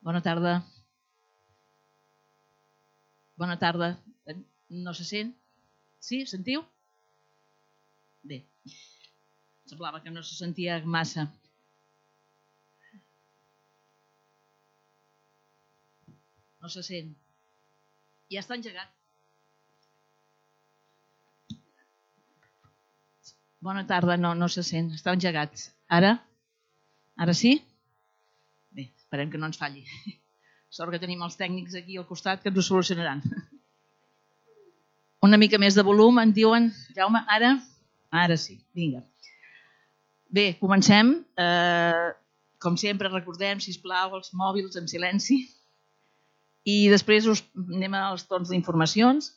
Bona tarda. Bona tarda. No se sent? Sí, sentiu? Bé, semblava que no se sentia massa. No se sent. Ja està engegat. Bona tarda, no se sent. Està engegat. Ara? Ara sí? Bé, esperem que no ens falli. Sort que tenim els tècnics aquí al costat que ens ho solucionaran. Una mica més de volum, en diuen, Jaume, ara? Ara sí, vinga. Bé, comencem. Com sempre, recordem, sisplau, els mòbils en silenci. I després anem als torns d'informacions.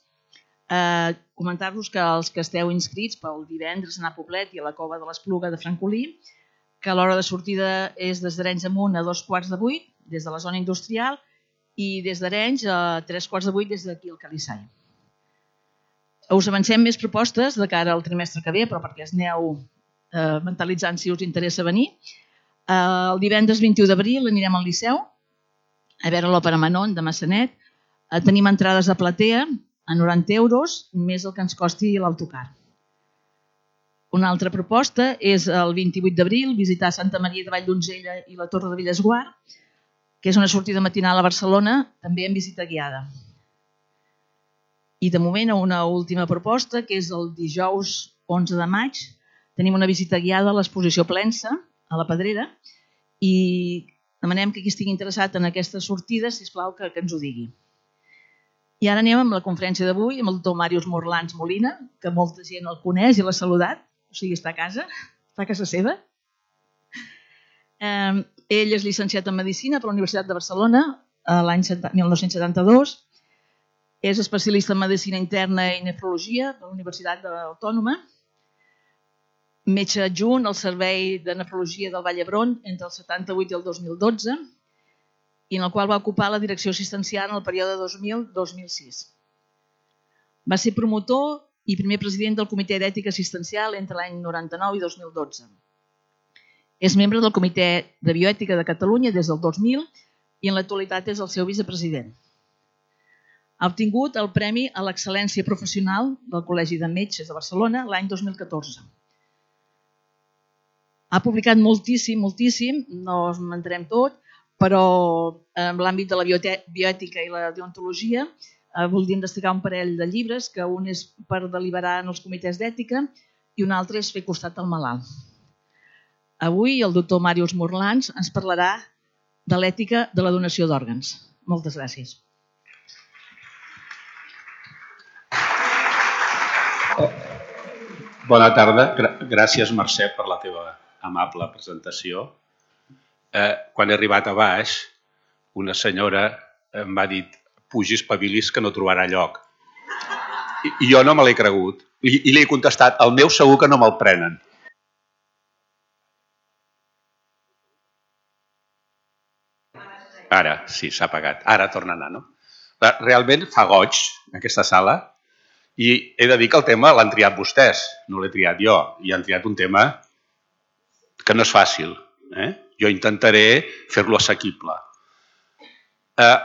Comentar-vos que els que esteu inscrits pel divendres a anar a Poblet i a la Cova de l'Espluga de Francolí, que l'hora de sortida és des d'Arenys amunt a 7:45, des de la zona industrial, i des d'Arenys a 7:45 des d'aquí al Calissai. Us avancem més propostes de cara al trimestre que ve, però perquè es aneu mentalitzant si us interessa venir. El divendres 21 d'abril anirem al Liceu a veure l'òpera Manon de Massanet. Tenim entrades a platea a 90 euros, més el que ens costi l'autocar. Una altra proposta és el 28 d'abril visitar Santa Maria de Valldonzella i la Torre de Bellesguard, que és una sortida matinal a Barcelona, també en visita guiada. I de moment una última proposta, que és el dijous 11 de maig, tenim una visita guiada a l'exposició Plensa, a la Pedrera, i demanem que qui estigui interessat en aquesta sortida, sisplau, que ens ho digui. I ara anem amb la conferència d'avui, amb el doctor Màrius Morlans Molina, que molta gent el coneix i l'ha saludat, o sigui, està a casa seva. Ell és llicenciat en Medicina per la Universitat de Barcelona l'any 1972, és especialista en Medicina Interna i Nefrologia de la Universitat Autònoma, metge adjunt al Servei de Nefrologia del Vall d'Hebron entre el 78 i el 2012, i en el qual va ocupar la direcció assistencial en el període 2000-2006. Va ser promotor i primer president del Comitè d'Ètica Assistencial entre l'any 99 i 2012. És membre del Comitè de Bioètica de Catalunya des del 2000 i en l'actualitat és el seu vicepresident. Ha obtingut el Premi a l'Excel·lència Professional del Col·legi de Metges de Barcelona l'any 2014. Ha publicat moltíssim, no us mentarem tot, però en l'àmbit de la bioètica i la deontologia voldríem destacar un parell de llibres, que un és per deliberar en els comitès d'ètica i un altre és fer costat al malalt. Avui el doctor Màrius Morlans ens parlarà de l'ètica de la donació d'òrgans. Moltes gràcies. Bona tarda. Gràcies, Mercè, per la teva amable presentació. Quan he arribat a baix, una senyora em va dir pugi, espavilis, que no trobarà lloc. I jo no me l'he cregut. I li he contestat, el meu segur que no me'l prenen. Ara, sí, s'ha apagat. Ara torna a anar, no? Realment fa goig, aquesta sala, i he de dir que el tema l'han triat vostès, no l'he triat jo, i han triat un tema que no és fàcil. Jo intentaré fer-lo assequible.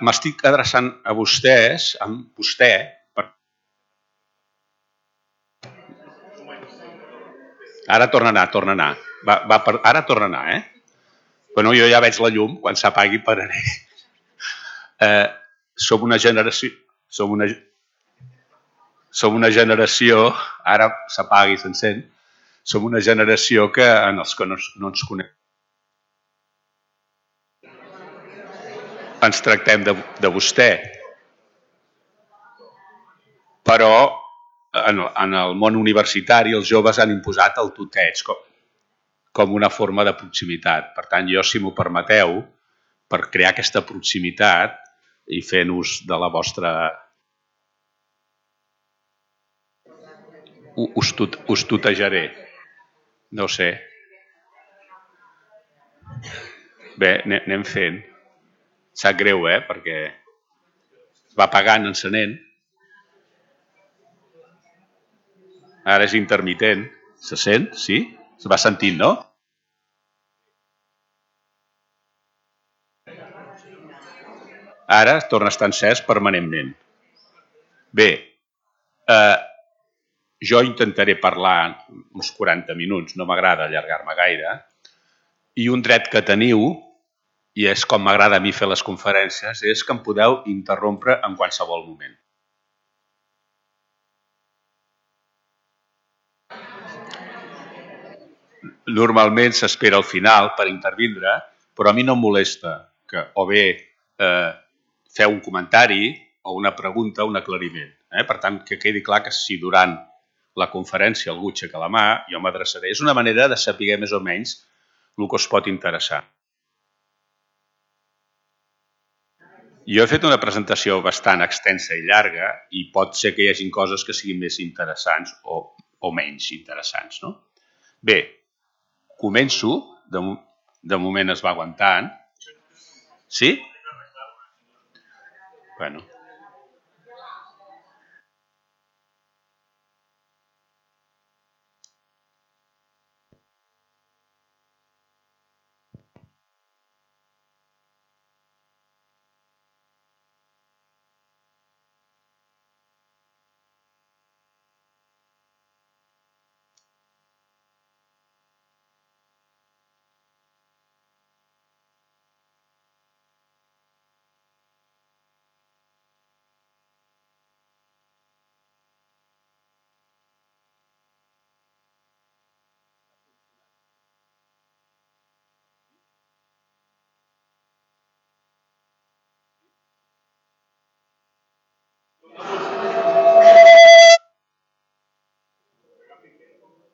M'estic adreçant a vostès, amb vostè, ara torna a anar. Ara torna a anar, Bueno, jo ja veig la llum, quan s'apagui pararé. Som una generació, ara s'apagui, s'encén, som una generació que en els que no ens coneixem ens tractem de vostè. Però en el món universitari els joves han imposat el tuteig com una forma de proximitat. Per tant, jo, si m'ho permeteu, per crear aquesta proximitat i fent ús de la vostra... Us tutejaré. No sé. Bé, anem fent. Sap greu, perquè es va apagant, encenent. Ara és intermitent. Se sent? Sí? Se va sentint, no? Ara torna a estar encès permanentment. Bé, jo intentaré parlar uns 40 minuts, no m'agrada allargar-me gaire, i un dret que teniu, i és com m'agrada a mi fer les conferències, és que em podeu interrompre en qualsevol moment. Normalment s'espera al final per intervindre, però a mi no em molesta que o bé feu un comentari o una pregunta o un aclariment. Per tant, que quedi clar que si durant la conferència algú aixeca la mà, jo m'adreçaré. És una manera de saber més o menys el que us pot interessar. Jo he fet una presentació bastant extensa i llarga i pot ser que hi hagi coses que siguin més interessants o menys interessants, no? Bé, començo. De moment es va aguantant. Sí? Bueno.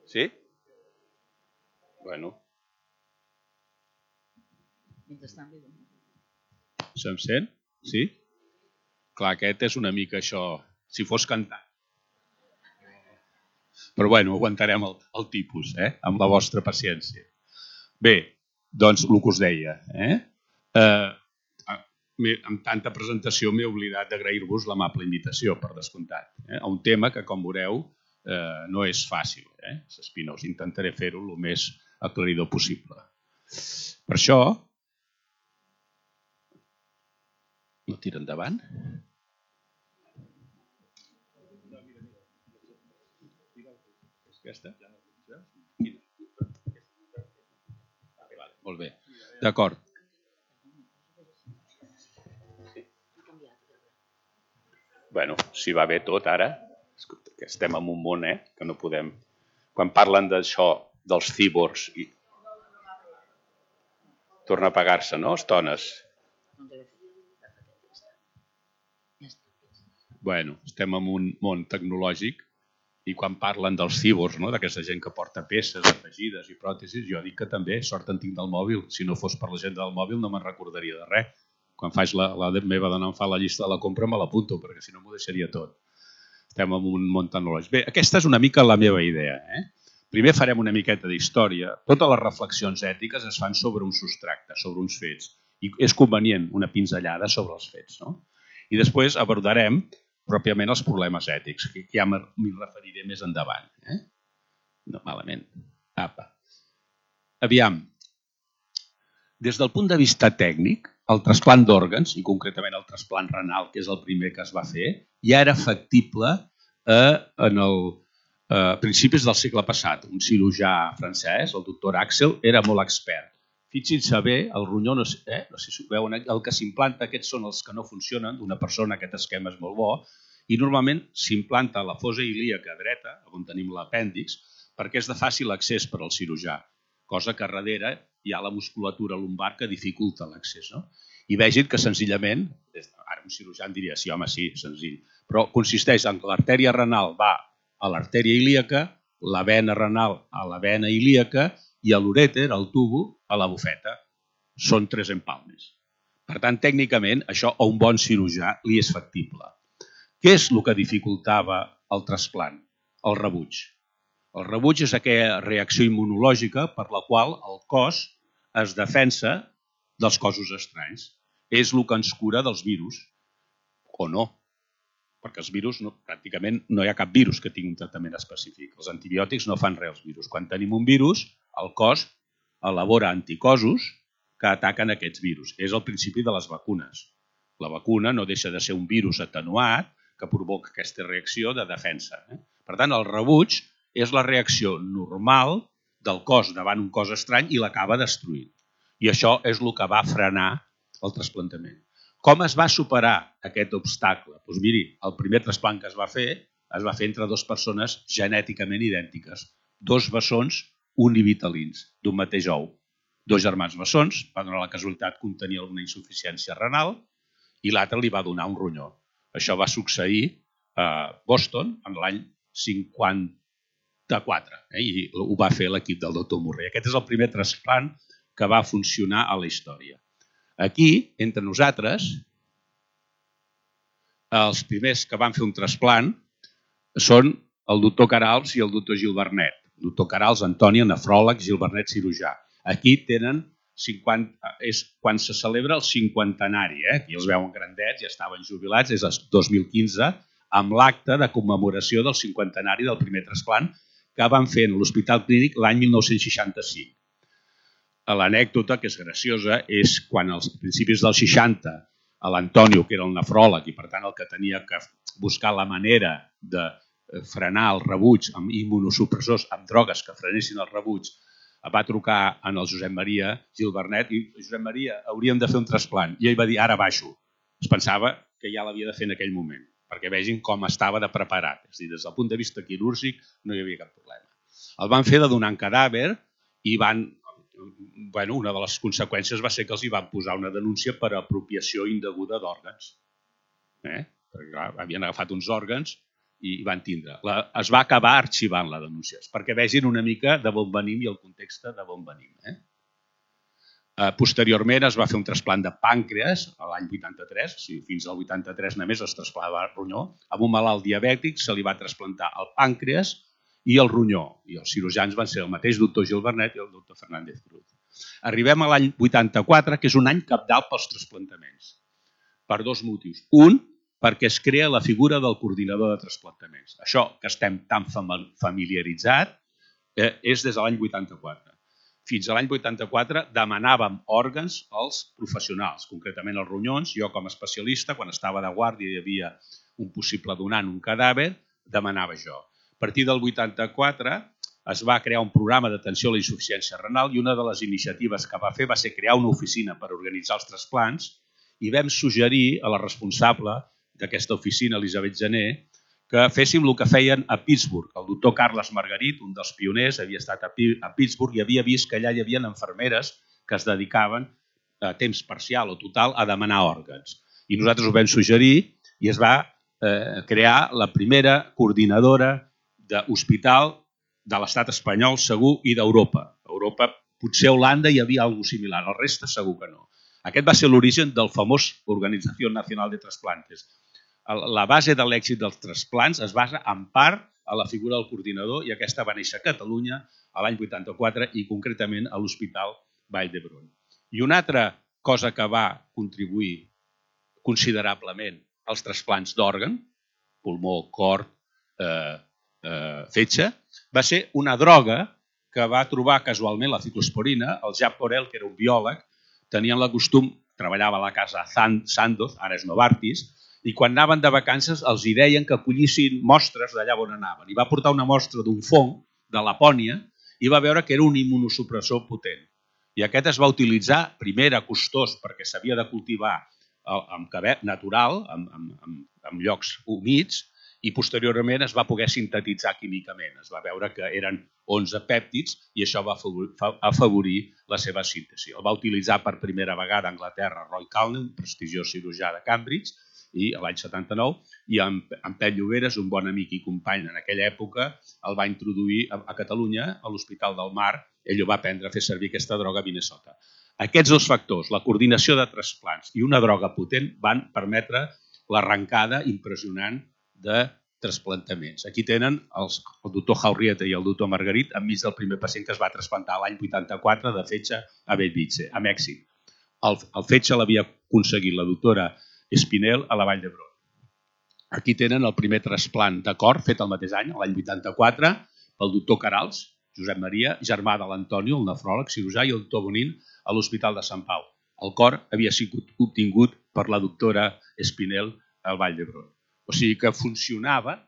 Sí? Bueno. Se'm sent? Sí? Clar, aquest és una mica això, si fos cantant. Però bueno, aguantarem el tipus, amb la vostra paciència. Bé, doncs el que us deia, amb tanta presentació m'he oblidat d'agrair-vos l'amable invitació, per descomptat, a un tema que, com veureu, no és fàcil, s'espinós. Intentaré fer-ho el més aclaridor possible. Per això, no tira endavant? Aquesta? Molt bé, d'acord. Bueno, si va bé tot ara, que estem en un món que no podem... Quan parlen d'això, dels cíborgs, torna a apagar-se, no, estones? Bueno, estem en un món tecnològic i quan parlen dels cíborgs, no, d'aquesta gent que porta peces afegides i pròtesis, jo dic que també sort en tinc del mòbil. Si no fos per la gent del mòbil no me'n recordaria de res. Quan faig la meva dona em fa la llista de la compra me l'apunto, perquè si no m'ho deixaria tot. Estem en un món tecnològic. Bé, aquesta és una mica la meva idea. Primer farem una miqueta d'història. Totes les reflexions ètiques es fan sobre un substracte, sobre uns fets. I és convenient una pinzellada sobre els fets, no? I després abordarem pròpiament els problemes ètics, que ja m'hi referiré més endavant. No, malament. Apa. Aviam. Des del punt de vista tècnic, el trasplant d'òrgans, i concretament el trasplant renal, que és el primer que es va fer, ja era factible en principis del segle passat. Un cirurgià francès, el doctor Axel, era molt expert. Fixin-se bé, el ronyó, no sé si ho veuen, el que s'implanta, aquests són els que no funcionen, d'una persona aquest esquema és molt bo, i normalment s'implanta la fosa ilíaca dreta, on tenim l'apèndix, perquè és de fàcil accés per al cirurgià, cosa que darrere hi ha la musculatura lumbar que dificulta l'accés. I vegin que senzillament, ara un cirurgià en diria, sí, home, sí, senzill, però consisteix en que l'artèria renal va a l'artèria ilíaca, la vena renal a la vena ilíaca i a l'urèter, al tubo, a la bufeta. Són 3 empalmes. Per tant, tècnicament, això a un bon cirurgià li és factible. Què és el que dificultava el trasplant? El rebuig. El rebuig és aquella reacció immunològica per la qual el cos es defensa dels cossos estranys. És el que ens cura dels virus, o no. Perquè els virus, pràcticament no hi ha cap virus que tingui un tractament específic. Els antibiòtics no fan res als virus. Quan tenim un virus, el cos elabora anticossos que ataquen aquests virus. És el principi de les vacunes. La vacuna no deixa de ser un virus atenuat que provoca aquesta reacció de defensa. Per tant, el rebuig és la reacció normal del cos davant un cos estrany i l'acaba destruint. I això és el que va frenar el trasplantament. Com es va superar aquest obstacle? Doncs miri, el primer trasplant que es va fer entre dues persones genèticament idèntiques, dos bessons univitalins d'un mateix ou. Dos germans bessons, va donar la casualitat que un tenia una insuficiència renal i l'altre li va donar un ronyó. Això va succeir a Boston en l'any 54 i ho va fer l'equip del doctor Murray. Aquest és el primer trasplant que va funcionar a la història. Aquí, entre nosaltres, els primers que van fer un trasplant són el doctor Carals i el doctor Gil Bernet. El doctor Carals, Antònia, nefròleg, Gil Bernet, cirurgià. Aquí tenen 50, és quan se celebra el 50enari. Aquí els veuen grandets, ja estaven jubilats, és el 2015, amb l'acte de commemoració del 50enari del primer trasplant que van fer a l'Hospital Clínic l'any 1965. L'anècdota, que és graciosa, és quan als principis dels 60 l'Antonio, que era el nefròleg i per tant el que tenia que buscar la manera de frenar el rebuig amb immunosupressors, amb drogues que frenessin el rebuig, va trucar en el Josep Maria Gil Bernet i Josep Maria, hauríem de fer un trasplant. I ell va dir, ara baixo. Es pensava que ja l'havia de fer en aquell moment, perquè vegin com estava de preparat. És a dir, des del punt de vista quirúrgic no hi havia cap problema. El van fer de donar un cadàver i una de les conseqüències va ser que els hi van posar una denúncia per apropiació indeguda d'òrgans. Perquè clar, havien agafat uns òrgans i van tindre. Es va acabar arxivant la denúncia, perquè vegin una mica de on venim i el context de on venim. Posteriorment es va fer un trasplant de pàncreas l'any 83, o sigui, fins al 83 només es trasplantava el ronyó. Amb un malalt diabètic se li va trasplantar el pàncreas i el ronyó. I els cirurgians van ser el mateix doctor Gil Bernet i el doctor Fernández Cruz. Arribem a l'any 84, que és un any cabdal pels trasplantaments, per dos motius. Un, perquè es crea la figura del coordinador de trasplantaments. Això que estem tan familiaritzats és des de l'any 84. Fins a l'any 84 demanàvem òrgans als professionals, concretament els ronyons. Jo com a especialista, quan estava de guàrdia i hi havia un possible donant, un cadàver, demanava jo. A partir del 84 es va crear un programa d'atenció a la insuficiència renal i una de les iniciatives que va fer va ser crear una oficina per organitzar els trasplants i vam suggerir a la responsable d'aquesta oficina, Elisabet Gené, que féssim el que feien a Pittsburgh. El doctor Carles Margarit, un dels pioners, havia estat a Pittsburgh i havia vist que allà hi havia infermeres que es dedicaven a temps parcial o total a demanar òrgans. I nosaltres ho vam suggerir i es va crear la primera coordinadora d'hospital de l'estat espanyol segur i d'Europa. A Europa, potser a Holanda hi havia alguna cosa similar, el reste segur que no. Aquest va ser l'origen del famós Organització Nacional de Trasplantes. La base de l'èxit dels trasplants es basa en part a la figura del coordinador i aquesta va néixer a Catalunya l'any 84 i concretament a l'Hospital Vall d'Hebron. I una altra cosa que va contribuir considerablement als trasplants d'òrgan, pulmó, cor, fetge, va ser una droga que va trobar casualment la ciclosporina. El Jacques Porel, que era un biòleg, tenien el costum, treballava a la casa Sandoz, ara és Novartis, i quan anaven de vacances els hi deien que collissin mostres d'allà on anaven. I va portar una mostra d'un fong de Lapònia i va veure que era un immunosupressor potent. I aquest es va utilitzar, primer era costós perquè s'havia de cultivar amb cabet natural, en llocs humits, i posteriorment es va poder sintetitzar químicament. Es va veure que eren 11 pèptids i això va afavorir la seva síntesi. El va utilitzar per primera vegada a Anglaterra Roy Calne, un prestigiós cirurgià de Cambridge, i l'any 79, i en Pep Lloberes, un bon amic i company en aquella època, el va introduir a Catalunya, a l'Hospital del Mar. Ell ho va aprendre a fer servir aquesta droga a Minnesota. Aquests dos factors, la coordinació de trasplants i una droga potent, van permetre l'arrencada impressionant de trasplantaments. Aquí tenen el doctor Jaurrieta i el doctor Margarit enmig del primer pacient que es va trasplantar l'any 84 de fetge a Bellvitge, a Mèxic. El fetge l'havia aconseguit la doctora Espinel a la Vall d'Hebron. Aquí tenen el primer trasplant de cor fet el mateix any, l'any 84, pel doctor Carals, Josep Maria, germà de l'Antonio, el nefròleg, cirurgià, i el doctor Bonin a l'Hospital de Sant Pau. El cor havia sigut obtingut per la doctora Espinel al Vall d'Hebron. O sigui que funcionava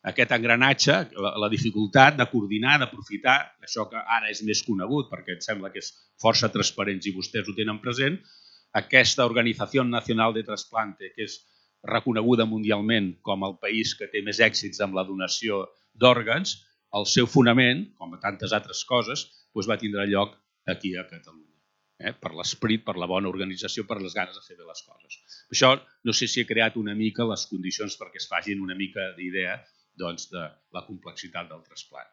aquest engranatge, la dificultat de coordinar, d'aprofitar, això que ara és més conegut perquè em sembla que és força transparent i vostès ho tenen present, aquesta Organització Nacional de Trasplante, que és reconeguda mundialment com el país que té més èxits amb la donació d'òrgans, el seu fonament, com a tantes altres coses, va tindre lloc aquí a Catalunya. Per l'esprit, per la bona organització, per les ganes de fer bé les coses. Per això no sé si he creat una mica les condicions perquè es facin una mica d'idea de la complexitat del trasplant.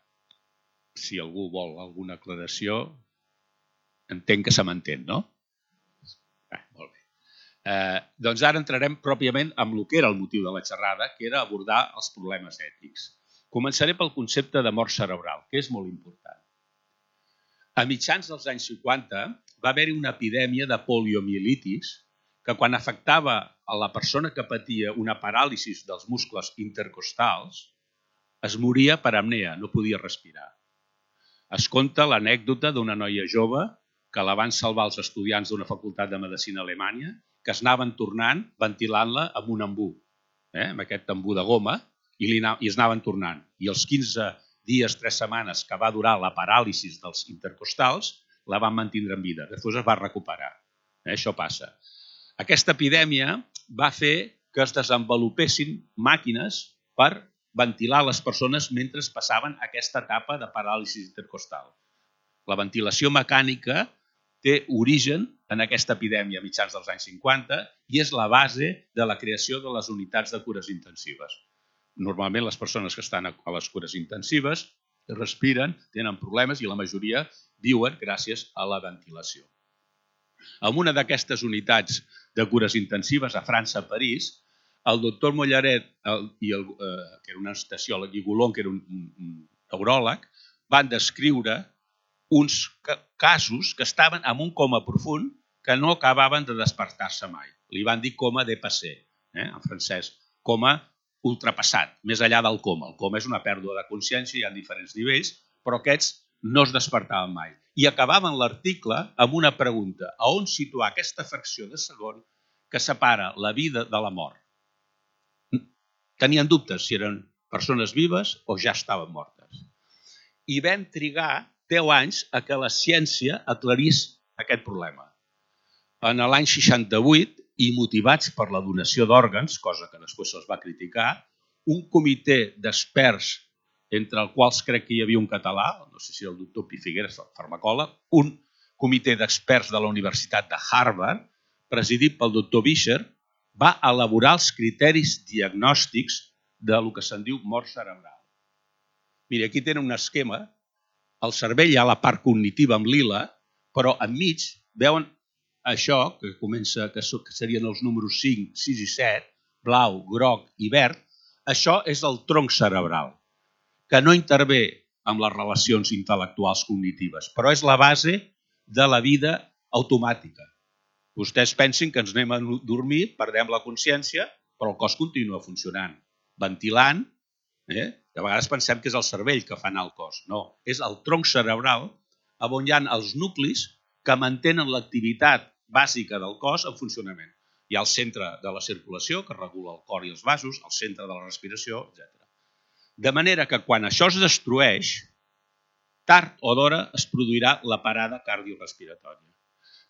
Si algú vol alguna aclaració, entenc que se m'entén, no? Molt bé. Doncs ara entrarem pròpiament amb el que era el motiu de la xerrada, que era abordar els problemes ètics. Començaré pel concepte de mort cerebral, que és molt important. A mitjans dels anys 50 va haver-hi una epidèmia de poliomielitis que quan afectava a la persona que patia una paràlisi dels muscles intercostals es moria per apnea, no podia respirar. Es conta l'anècdota d'una noia jove que la van salvar els estudiants d'una facultat de medicina a Alemanya, que es anaven tornant ventilant-la amb un embú, amb aquest embú de goma, i es anaven tornant. I els 15 dies, 3 setmanes que va durar la paràlisi dels intercostals, la van mantenir en vida. Després es va recuperar. Això passa. Aquesta epidèmia va fer que es desenvolupessin màquines per ventilar les persones mentre passaven aquesta etapa de paràlisi intercostal. La ventilació mecànica té origen en aquesta epidèmia a mitjans dels anys 50 i és la base de la creació de les unitats de cures intensives. Normalment les persones que estan a les cures intensives respiren, tenen problemes i la majoria viuen gràcies a la ventilació. En una d'aquestes unitats de cures intensives a França, a París, el doctor Mollaret, que era un anestesiòleg, i Goulon, que era un neuròleg, van descriure uns casos que estaven en un coma profund que no acabaven de despertar-se mai. Li van dir coma dépassé, en francès, coma ultrapassat, més enllà del coma. El coma és una pèrdua de consciència, hi ha diferents nivells, però aquests no es despertaven mai. I acabaven l'article amb una pregunta: a on situar aquesta fracció de segon que separa la vida de la mort? Tenien dubtes si eren persones vives o ja estaven mortes. I vam trigar 10 anys a que la ciència aclarís aquest problema. En l'any 68, i motivats per la donació d'òrgans, cosa que després se'ls va criticar, un comitè d'experts, entre els quals crec que hi havia un català, no sé si el doctor Pi Figueres, el farmacòleg, un comitè d'experts de la Universitat de Harvard, presidit pel doctor Vischer, va elaborar els criteris diagnòstics del que se'n diu mort cerebral. Mira, aquí tenen un esquema. Al cervell hi ha la part cognitiva amb lila, però enmig veuen això, que serien els números 5, 6 i 7, blau, groc i verd. Això és el tronc cerebral, que no intervé amb les relacions intel·lectuals cognitives, però és la base de la vida automàtica. Vostès pensin que ens anem a dormir, perdem la consciència, però el cos continua funcionant, ventilant. A vegades pensem que és el cervell que fa anar el cos. No, és el tronc cerebral on hi ha els nuclis que mantenen l'activitat bàsica del cos en funcionament. Hi ha el centre de la circulació, que regula el cor i els vasos, el centre de la respiració, etc. De manera que quan això es destrueix, tard o d'hora es produirà la parada cardiorespiratòria.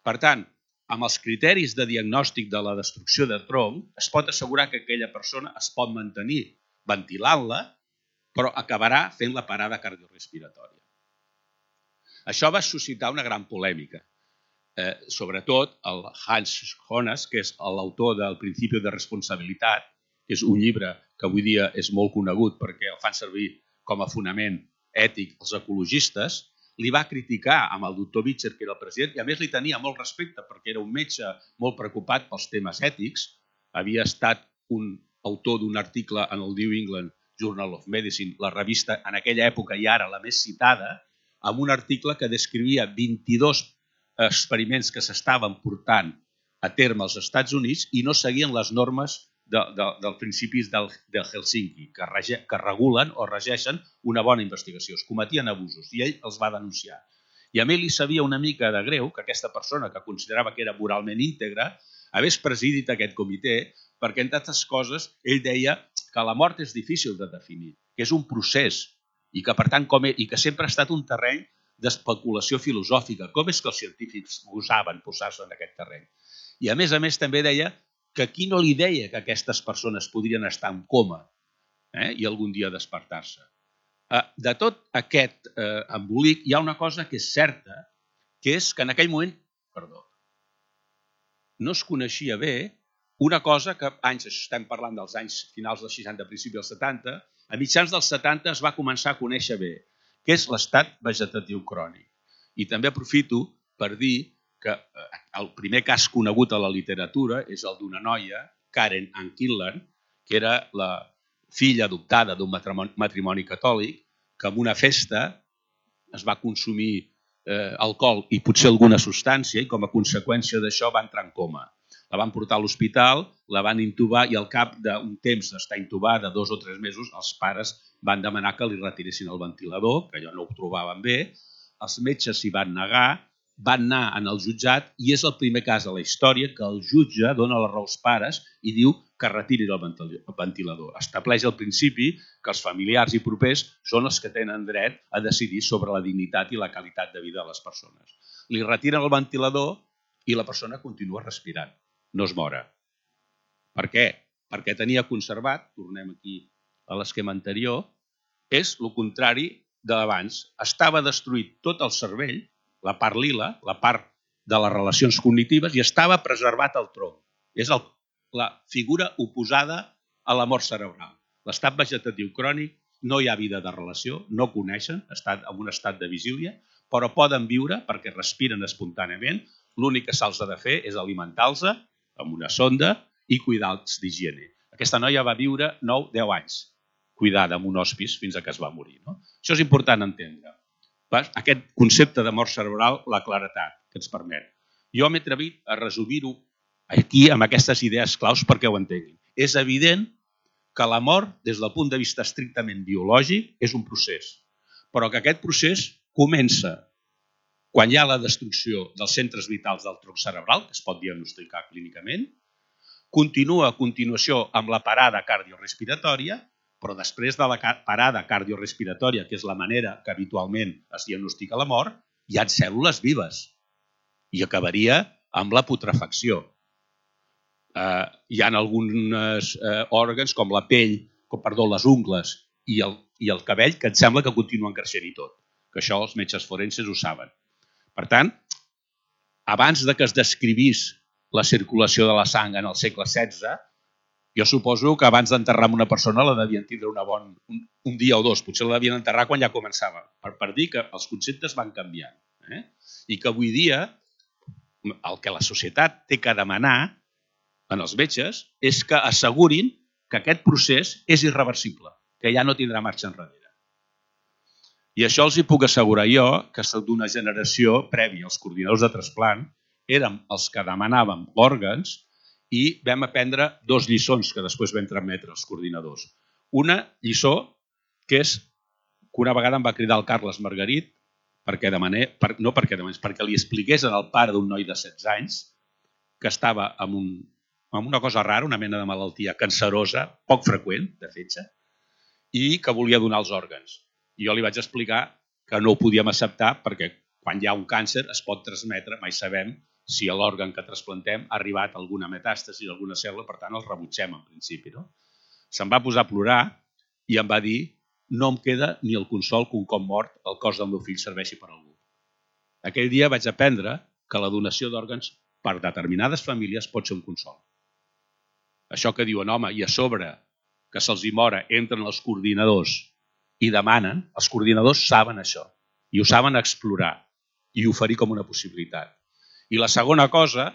Per tant, amb els criteris de diagnòstic de la destrucció de tronc, es pot assegurar que aquella persona es pot mantenir ventilant-la, però acabarà fent la parada cardiorespiratòria. Això va suscitar una gran polèmica. Sobretot el Hans Jonas, que és l'autor del Principi de Responsabilitat, que és un llibre que avui dia és molt conegut perquè el fan servir com a fonament ètic els ecologistes, li va criticar amb el doctor Vischer, que era el president, i a més li tenia molt respecte perquè era un metge molt preocupat pels temes ètics, havia estat un autor d'un article en el New England Journal of Medicine, la revista en aquella època i ara la més citada, amb un article que descrivia 22 experiments que s'estaven portant a terme als Estats Units i no seguien les normes dels principis de Helsinki, que regulen o regeixen una bona investigació. Es cometien abusos i ell els va denunciar. I a mi li sabia una mica de greu que aquesta persona, que considerava que era moralment íntegra, hagués presidit aquest comitè, perquè, entre altres coses, ell deia que la mort és difícil de definir, que és un procés i que, per tant, i que sempre ha estat un terreny d'especulació filosòfica. Com és que els científics gosaven posar-se en aquest terreny? I, a més, també deia que qui no li deia que aquestes persones podrien estar en coma i algun dia despertar-se. De tot aquest embolic hi ha una cosa que és certa, que és que en aquell moment, no es coneixia bé una cosa que estem parlant dels anys finals dels 60, principis dels 70, a mitjans dels 70 es va començar a conèixer bé, que és l'estat vegetatiu crònic. I també aprofito per dir que el primer cas conegut a la literatura és el d'una noia, Karen Ann Kinlan, que era la filla adoptada d'un matrimoni catòlic, que en una festa es va consumir alcohol i potser alguna substància i com a conseqüència d'això va entrar en coma. La van portar a l'hospital, la van intubar i al cap d'un temps d'estar intubada, 2 o 3 mesos, els pares van demanar que li retiressin el ventilador, que allò no ho trobaven bé, els metges s'hi van negar, van anar en el jutjat i és el primer cas a la història que el jutge dona la raó als pares i diu que retirin el ventilador. Estableix el principi que els familiars i propers són els que tenen dret a decidir sobre la dignitat i la qualitat de vida de les persones. Li retiren el ventilador i la persona continua respirant, no es mora. Per què? Perquè tenia conservat, tornem aquí a l'esquema anterior, és el contrari d'abans. Estava destruït tot el cervell, la part lila, la part de les relacions cognitives, i estava preservat el tronc. És la figura oposada a la mort cerebral. L'estat vegetatiu crònic, no hi ha vida de relació, no coneixen, estan en un estat de vigília, però poden viure perquè respiren espontàniament. L'únic que se'ls ha de fer és alimentar-los amb una sonda i cuidar-los d'higiene. Aquesta noia va viure 9-10 anys cuidada en un hospice fins que es va morir. Això és important entendre. Aquest concepte de mort cerebral, la claretat que ens permet. Jo m'he atrevit a resumir-ho aquí amb aquestes idees claus perquè ho entenguin. És evident que la mort, des del punt de vista estrictament biològic, és un procés, però que aquest procés comença quan hi ha la destrucció dels centres vitals del tronc cerebral, que es pot diagnosticar clínicament, continua a continuació amb la parada cardiorespiratòria, però després de la parada cardiorespiratòria, que és la manera que habitualment es diagnostica la mort, hi ha cèl·lules vives i acabaria amb la putrefacció. Hi ha alguns òrgans com la pell, les ungles i el cabell que et sembla que continuen creixent i tot, que això els metges forenses ho saben. Per tant, abans de que es descrivís la circulació de la sang en el segle XVI, jo suposo que abans d'enterrar una persona la devien tindre un dia o 2, potser la devien enterrar quan ja començava, per dir que els conceptes van canviant. I que avui dia el que la societat té que demanar en els metges és que assegurin que aquest procés és irreversible, que ja no tindrà marxa enrere. I això els hi puc assegurar jo, que soc d'una generació prèvia als coordinadors de trasplant, érem els que demanàvem òrgans i vam aprendre 2 lliçons que després vam transmetre als coordinadors. Una lliçó que és que una vegada em va cridar el Carles Margarit perquè li expliqués al pare d'un noi de 16 anys que estava amb una cosa rara, una mena de malaltia cancerosa, poc freqüent, de fetge, i que volia donar els òrgans. I jo li vaig explicar que no ho podíem acceptar perquè quan hi ha un càncer es pot transmetre, mai sabem si l'òrgan que trasplantem ha arribat a alguna metàstasi d'alguna cèl·lula, per tant el rebutgem en principi. Se'm va posar a plorar i em va dir: no em queda ni el consol que un cop mort el cos del meu fill serveixi per a algú. Aquell dia vaig aprendre que la donació d'òrgans per determinades famílies pot ser un consol. Això que diuen, home, i a sobre que se'ls hi mora, entren els coordinadors i demanen, els coordinadors saben això i ho saben explorar i oferir com una possibilitat. I la segona cosa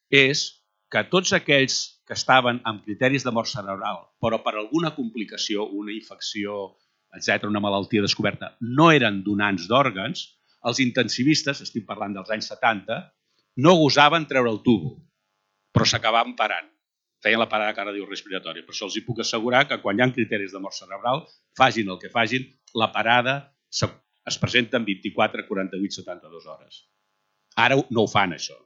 és que tots aquells que estaven amb criteris de mort cerebral, però per alguna complicació, una infecció, etc., una malaltia descoberta, no eren donants d'òrgans, els intensivistes, estic parlant dels anys 70, no gosaven treure el tubo, però s'acabaven parant. feien la parada cardiorrespiratòria. Per això els puc assegurar que quan hi ha criteris de mort cerebral, facin el que facin, la parada es presenta en 24, 48, 72 hores. Ara no ho fan, això,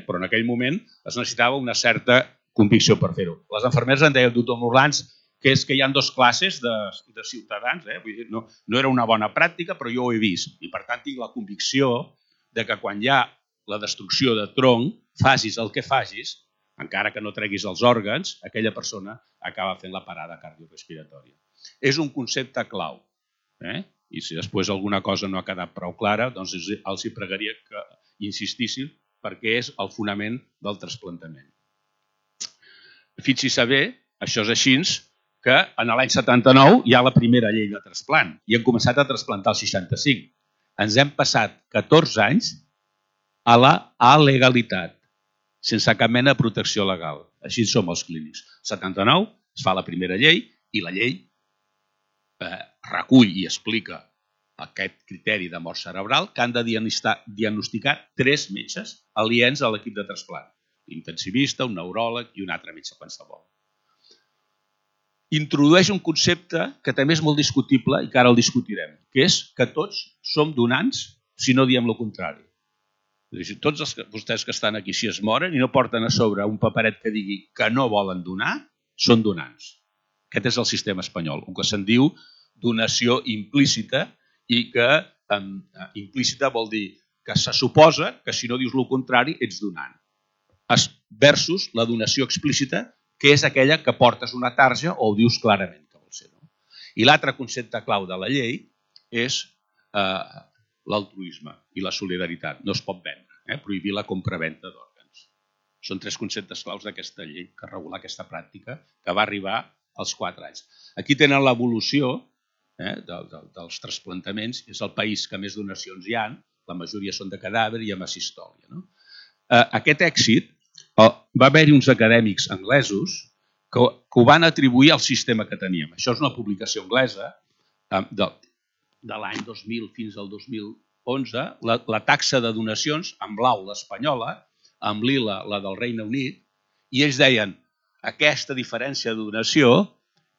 però en aquell moment es necessitava una certa convicció per fer-ho. Les infermeres en deien, doctor Morlans, que és que hi ha dues classes de ciutadans. Vull dir, no era una bona pràctica, però jo ho he vist. I per tant tinc la convicció de que quan hi ha la destrucció de tronc, facis el que facis, encara que no treguis els òrgans, aquella persona acaba fent la parada cardiorrespiratòria. És un concepte clau. I si després alguna cosa no ha quedat prou clara, doncs els hi pregaria que insistissin perquè és el fonament del trasplantament. Fixi-se bé, això és així, que en l'any 79 hi ha la primera llei de trasplant i hem començat a trasplantar el 65. Ens hem passat 14 anys a la alegalitat, sense cap mena de protecció legal. Així som els clínics. El 79 es fa la primera llei i la llei recull i explica aquest criteri de mort cerebral que han de diagnosticar 3 metges aliens a l'equip de trasplant. L'intensivista, un neuròleg i un altre metge qualsevol. Introdueix un concepte que també és molt discutible i que ara el discutirem, que és que tots som donants si no diem el contrari. Tots vostès que estan aquí, si es moren i no porten a sobre un paperet que digui que no volen donar, són donants. Aquest és el sistema espanyol, el que se'n diu donació implícita i que implícita vol dir que se suposa que si no dius el contrari ets donant. Versus la donació explícita, que és aquella que portes una tarja o ho dius clarament que vol ser. I l'altre concepte clau de la llei és l'altruisme i la solidaritat. No es pot vendre, prohibir la compraventa d'òrgans. Són 3 conceptes claus d'aquesta llei que regula aquesta pràctica que va arribar als 4 anys. Aquí tenen l'evolució dels trasplantaments. És el país que més donacions hi ha, la majoria són de cadàver i amb asistòlia. Aquest èxit va haver-hi uns acadèmics anglesos que ho van atribuir al sistema que teníem. Això és una publicació anglesa de l'any 2000 fins al 2011. La taxa de donacions, en blau l'espanyola, en lila la del Regne Unit, i ells deien aquesta diferència de donació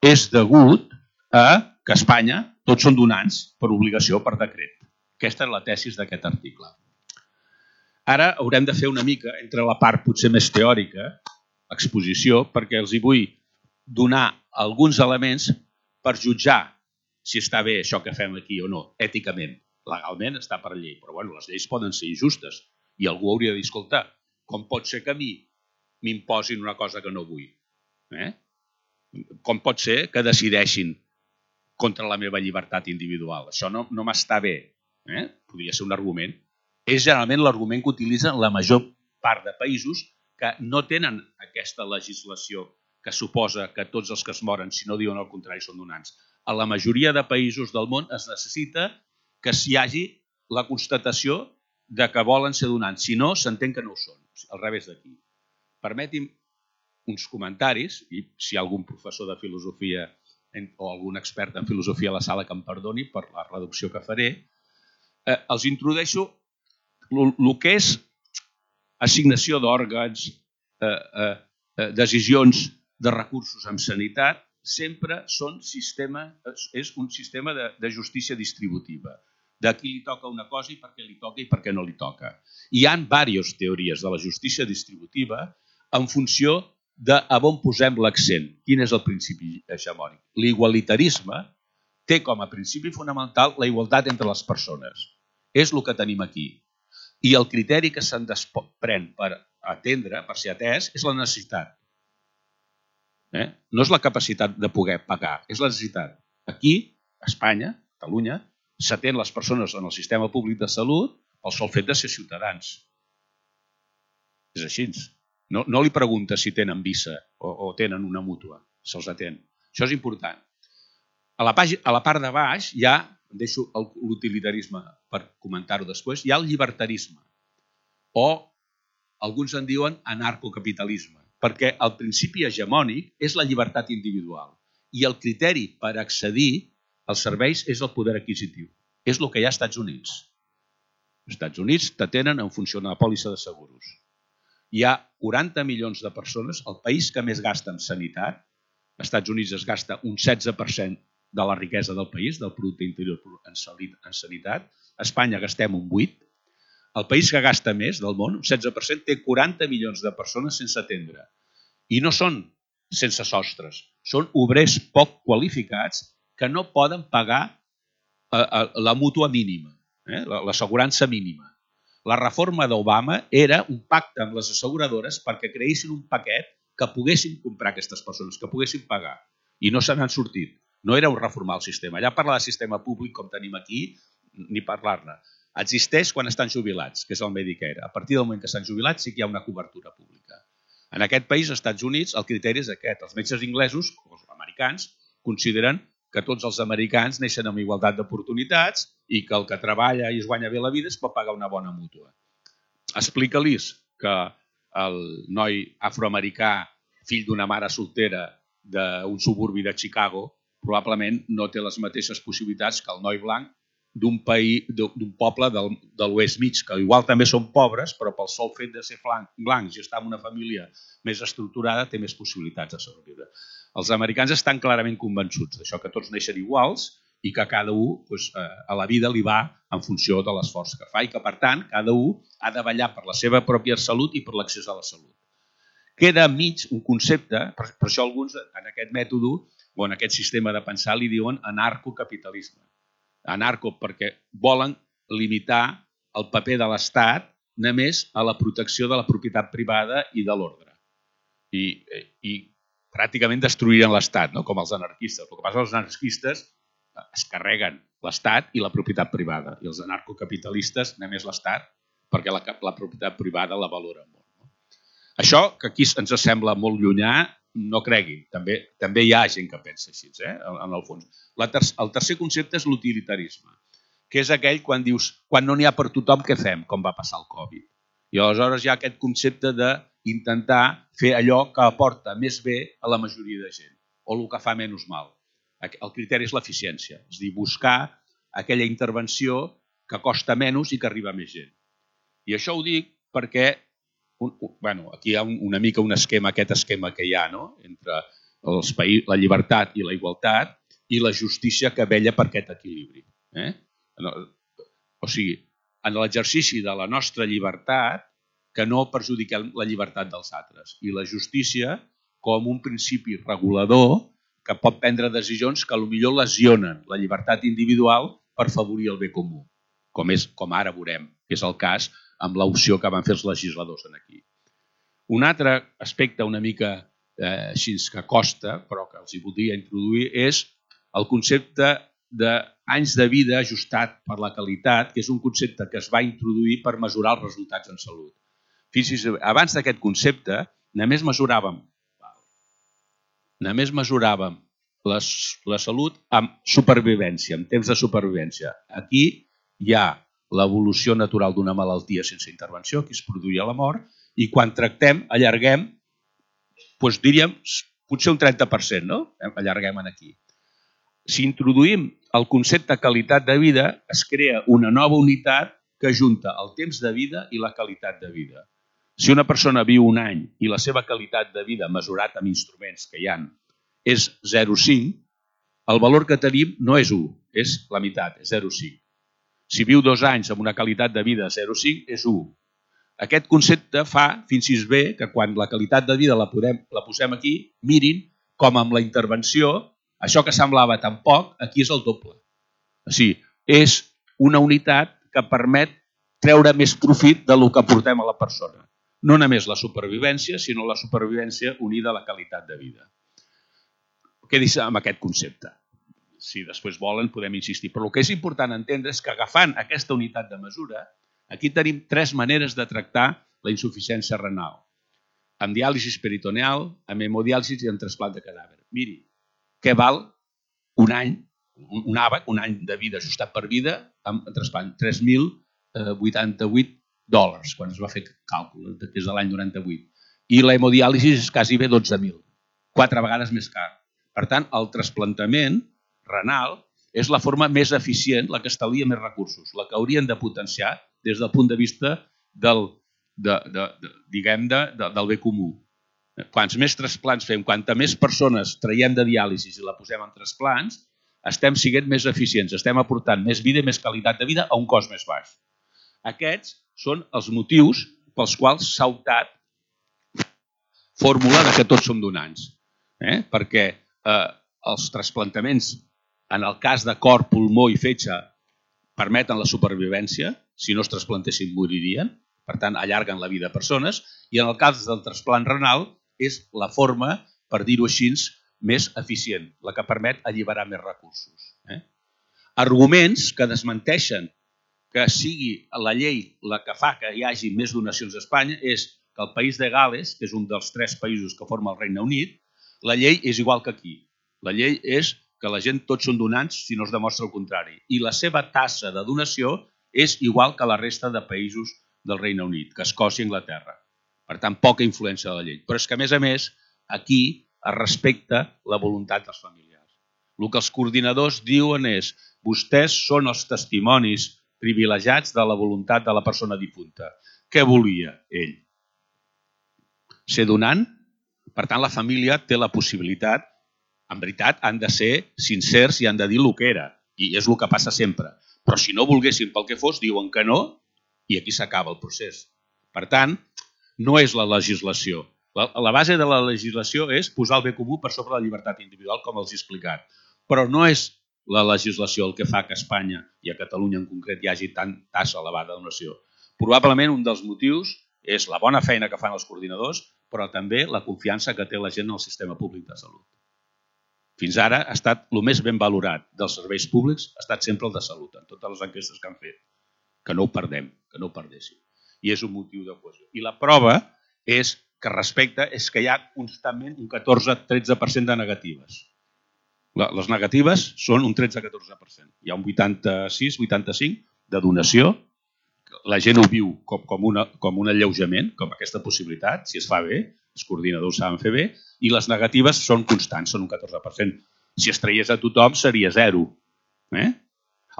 és degut a que a Espanya tots són donants per obligació, per decret. Aquesta és la tesis d'aquest article. Ara haurem de fer una mica, entre la part potser més teòrica, exposició, perquè els hi vull donar alguns elements per jutjar si està bé això que fem aquí o no, èticament. Legalment està per llei, però les lleis poden ser injustes i algú hauria de dir, escolta, com pot ser que a mi m'imposin una cosa que no vull? Com pot ser que decideixin contra la meva llibertat individual? Això no m'està bé. Podria ser un argument. És generalment l'argument que utilitzen la major part de països que no tenen aquesta legislació que suposa que tots els que es moren, si no diuen el contrari, són donants. A la majoria de països del món es necessita que s'hi hagi la constatació de que volen ser donants. Si no, s'entén que no ho són. Al revés d'aquí. Permeti'm uns comentaris, i si hi ha algun professor de filosofia o algun expert en filosofia a la sala que em perdoni per la reducció que faré, els introdueixo el que és assignació d'òrgans, decisions de recursos en sanitat, sempre és un sistema de justícia distributiva. De qui li toca una cosa i per què li toca i per què no li toca. Hi ha diverses teories de la justícia distributiva en funció de a on posem l'accent. Quin és el principi hegemònic? L'igualitarisme té com a principi fonamental la igualtat entre les persones. És el que tenim aquí. I el criteri que se'n desprèn per atendre, per ser atès, és la necessitat. No és la capacitat de poder pagar, és la necessitat. Aquí, a Espanya, a Catalunya, s'atén les persones en el sistema públic de salut pel sol fet de ser ciutadans. És així. No li pregunta si tenen visa o tenen una mútua, se'ls atén. Això és important. A la part de baix hi ha, deixo l'utilitarisme per comentar-ho després, hi ha el llibertarisme o alguns en diuen anarcocapitalisme, perquè el principi hegemònic és la llibertat individual i el criteri per accedir als serveis és el poder adquisitiu. És el que hi ha als Estats Units. Els Estats Units t'atenen en funció de la pòlissa de seguros. hi ha 40 milions de persones, el país que més gasta en sanitat, als Estats Units es gasta un 16% de la riquesa del país, del producte interior brut en sanitat, a Espanya gastem un 8%, el país que gasta més del món, un 16%, té 40 milions de persones sense atendre. I no són sense sostres, són obrers poc qualificats que no poden pagar la mútua mínima, l'assegurança mínima. La reforma d'Obama era un pacte amb les asseguradores perquè creessin un paquet que poguessin comprar aquestes persones, que poguessin pagar. I no se n'han sortit. No era un reformar el sistema. Allà parlar de sistema públic, com tenim aquí, ni parlar-ne. Existeix quan estan jubilats, que és el Medicare. A partir del moment que estan jubilats sí que hi ha una cobertura pública. En aquest país, als Estats Units, el criteri és aquest. Els metges inglesos, els americans, consideren que tots els americans neixen amb igualtat d'oportunitats i que el que treballa i es guanya bé la vida es pot pagar una bona mútua. Explica-los que el noi afroamericà, fill d'una mare soltera d'un suburbi de Chicago, probablement no té les mateixes possibilitats que el noi blanc d'un poble de l'oest mig, que igual també són pobres, però pel sol fet de ser blancs i estar en una família més estructurada té més possibilitats de sobreviure. Els americans estan clarament convençuts d'això, que tots neixen iguals i que cada un a la vida li va en funció de l'esforç que fa i que, per tant, cada un ha de vetllar per la seva pròpia salut i per l'accés a la salut. Queda enmig un concepte, per això alguns en aquest mètode o en aquest sistema de pensar li diuen anarcocapitalisme. Anarco perquè volen limitar el paper de l'Estat només a la protecció de la propietat privada i de l'ordre. I pràcticament destruiren l'Estat, com els anarquistes. El que passa és que els anarquistes es carreguen l'Estat i la propietat privada i els anarcocapitalistes només l'Estat perquè la propietat privada la valoren molt. Això, que aquí ens sembla molt llunyà, no creguin, també hi ha gent que pensa així, en el fons. El tercer concepte és l'utilitarisme, que és aquell quan dius, quan no n'hi ha per tothom, què fem? Com va passar el Covid. I aleshores hi ha aquest concepte d'intentar fer allò que aporta més bé a la majoria de gent, o el que fa menys mal. El criteri és l'eficiència, és a dir, buscar aquella intervenció que costa menys i que arriba a més gent. I això ho dic perquè aquí hi ha una mica un esquema, aquest esquema que hi ha entre la llibertat i la igualtat i la justícia que vella per aquest equilibri. O sigui, en l'exercici de la nostra llibertat que no perjudiquem la llibertat dels altres i la justícia com un principi regulador que pot prendre decisions que potser lesionen la llibertat individual per favorir el bé comú, com ara veurem, que és el cas amb l'opció que van fer els legisladors aquí. Un altre aspecte una mica així que costa, però que els hi voldria introduir, és el concepte d'anys de vida ajustat per la qualitat, que és un concepte que es va introduir per mesurar els resultats en salut. Fixi's, abans d'aquest concepte només mesuràvem la salut amb supervivència, amb temps de supervivència. Aquí hi ha l'evolució natural d'una malaltia sense intervenció, que es produïa la mort, i quan tractem, allarguem, diríem, potser un 30%, no? Allarguem aquí. Si introduïm el concepte de qualitat de vida, es crea una nova unitat que junta el temps de vida i la qualitat de vida. Si una persona viu un any i la seva qualitat de vida mesurat amb instruments que hi ha és 0,5, el valor que tenim no és 1, és la meitat, és 0,5. Si viu 2 anys amb una qualitat de vida 0,5 és 1. Aquest concepte fa fins i tot bé que quan la qualitat de vida la posem aquí, mirin com amb la intervenció, això que semblava tan poc, aquí és el doble. O sigui, és una unitat que permet treure més profit del que aportem a la persona. No només la supervivència, sinó la supervivència unida a la qualitat de vida. Quedis amb aquest concepte. Si després volen, podem insistir. Però el que és important entendre és que agafant aquesta unitat de mesura, aquí tenim 3 maneres de tractar la insuficiència renal. Amb diàlisi peritoneal, amb hemodiàlisi i amb trasplant de cadàver. Miri, què val un any, un àbac, un any de vida ajustat per vida, amb trasplant? $3.088, quan es va fer càlcul, des de l'any 98. I la hemodiàlisi és quasi bé 12.000, 4 vegades més car. Per tant, el trasplantament renal és la forma més eficient, la que estalvia més recursos, la que haurien de potenciar des del punt de vista del del bé comú. Quants més trasplants fem, quanta més persones traiem de diàlisi i la posem en trasplants, estem sent més eficients, estem aportant més vida i més qualitat de vida a un cost més baix. Aquests són els motius pels quals s'ha optat fórmula que tots som donants. Perquè els trasplantaments, en el cas de cor, pulmó i fetge, permeten la supervivència. Si no es trasplantessin, moririen. Per tant, allarguen la vida a persones. I en el cas del trasplant renal, és la forma, per dir-ho així, més eficient, la que permet alliberar més recursos. Arguments que desmenteixen que sigui la llei la que fa que hi hagi més donacions a Espanya és que el país de Gales, que és un dels 3 països que forma el Regne Unit, la llei és igual que aquí. La llei és que la gent tots són donants si no es demostra el contrari. I la seva tassa de donació és igual que la resta de països del Regne Unit, que Escòcia i Anglaterra. Per tant, poca influència de la llei. Però és que, a més, aquí es respecta la voluntat dels familiars. El que els coordinadors diuen és vostès són els testimonis privilegiats de la voluntat de la persona difunta. Què volia ell? Ser donant? Per tant, la família té la possibilitat, en veritat, han de ser sincers i han de dir el que era. I és el que passa sempre. Però si no volguessin pel que fos, diuen que no i aquí s'acaba el procés. Per tant, no és la legislació. La base de la legislació és posar el bé comú per sobre la llibertat individual, com els he explicat. Però no és la legislació el que fa que a Espanya i a Catalunya en concret hi hagi tant tassa elevada de donació. Probablement un dels motius és la bona feina que fan els coordinadors, però també la confiança que té la gent en el sistema públic de salut. Fins ara ha estat el més ben valorat dels serveis públics, ha estat sempre el de salut, en totes les enquestes que han fet. Que no ho perdem, que no ho perdéssim. I és un motiu de cohesió. I la prova és que respecte és que hi ha constantment un 14-13% de negatives. Les negatives són un 13-14%. Hi ha un 86-85% de donació. La gent ho viu com un alleujament, com aquesta possibilitat, si es fa bé, els coordinadors saben fer bé, i les negatives són constants, són un 14%. Si es traies a tothom seria 0.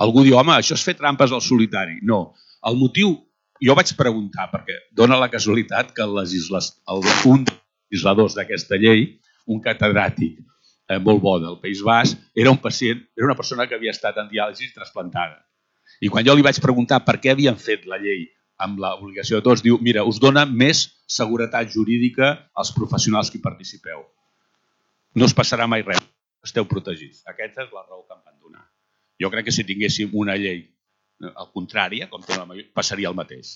Algú diu, home, això és fer trampes al solitari. No. El motiu, jo vaig preguntar, perquè dona la casualitat que un dels legisladors d'aquesta llei, un catedràtic molt bo del País Basc, era un pacient, era una persona que havia estat en diàlisi trasplantada. I quan jo li vaig preguntar per què havien fet la llei amb l'obligació de tots, diu, mira, us dona més seguretat jurídica als professionals que hi participeu. No us passarà mai res, esteu protegits. Aquesta és la raó que em van donar. Jo crec que si tinguéssim una llei al contrari, passaria el mateix.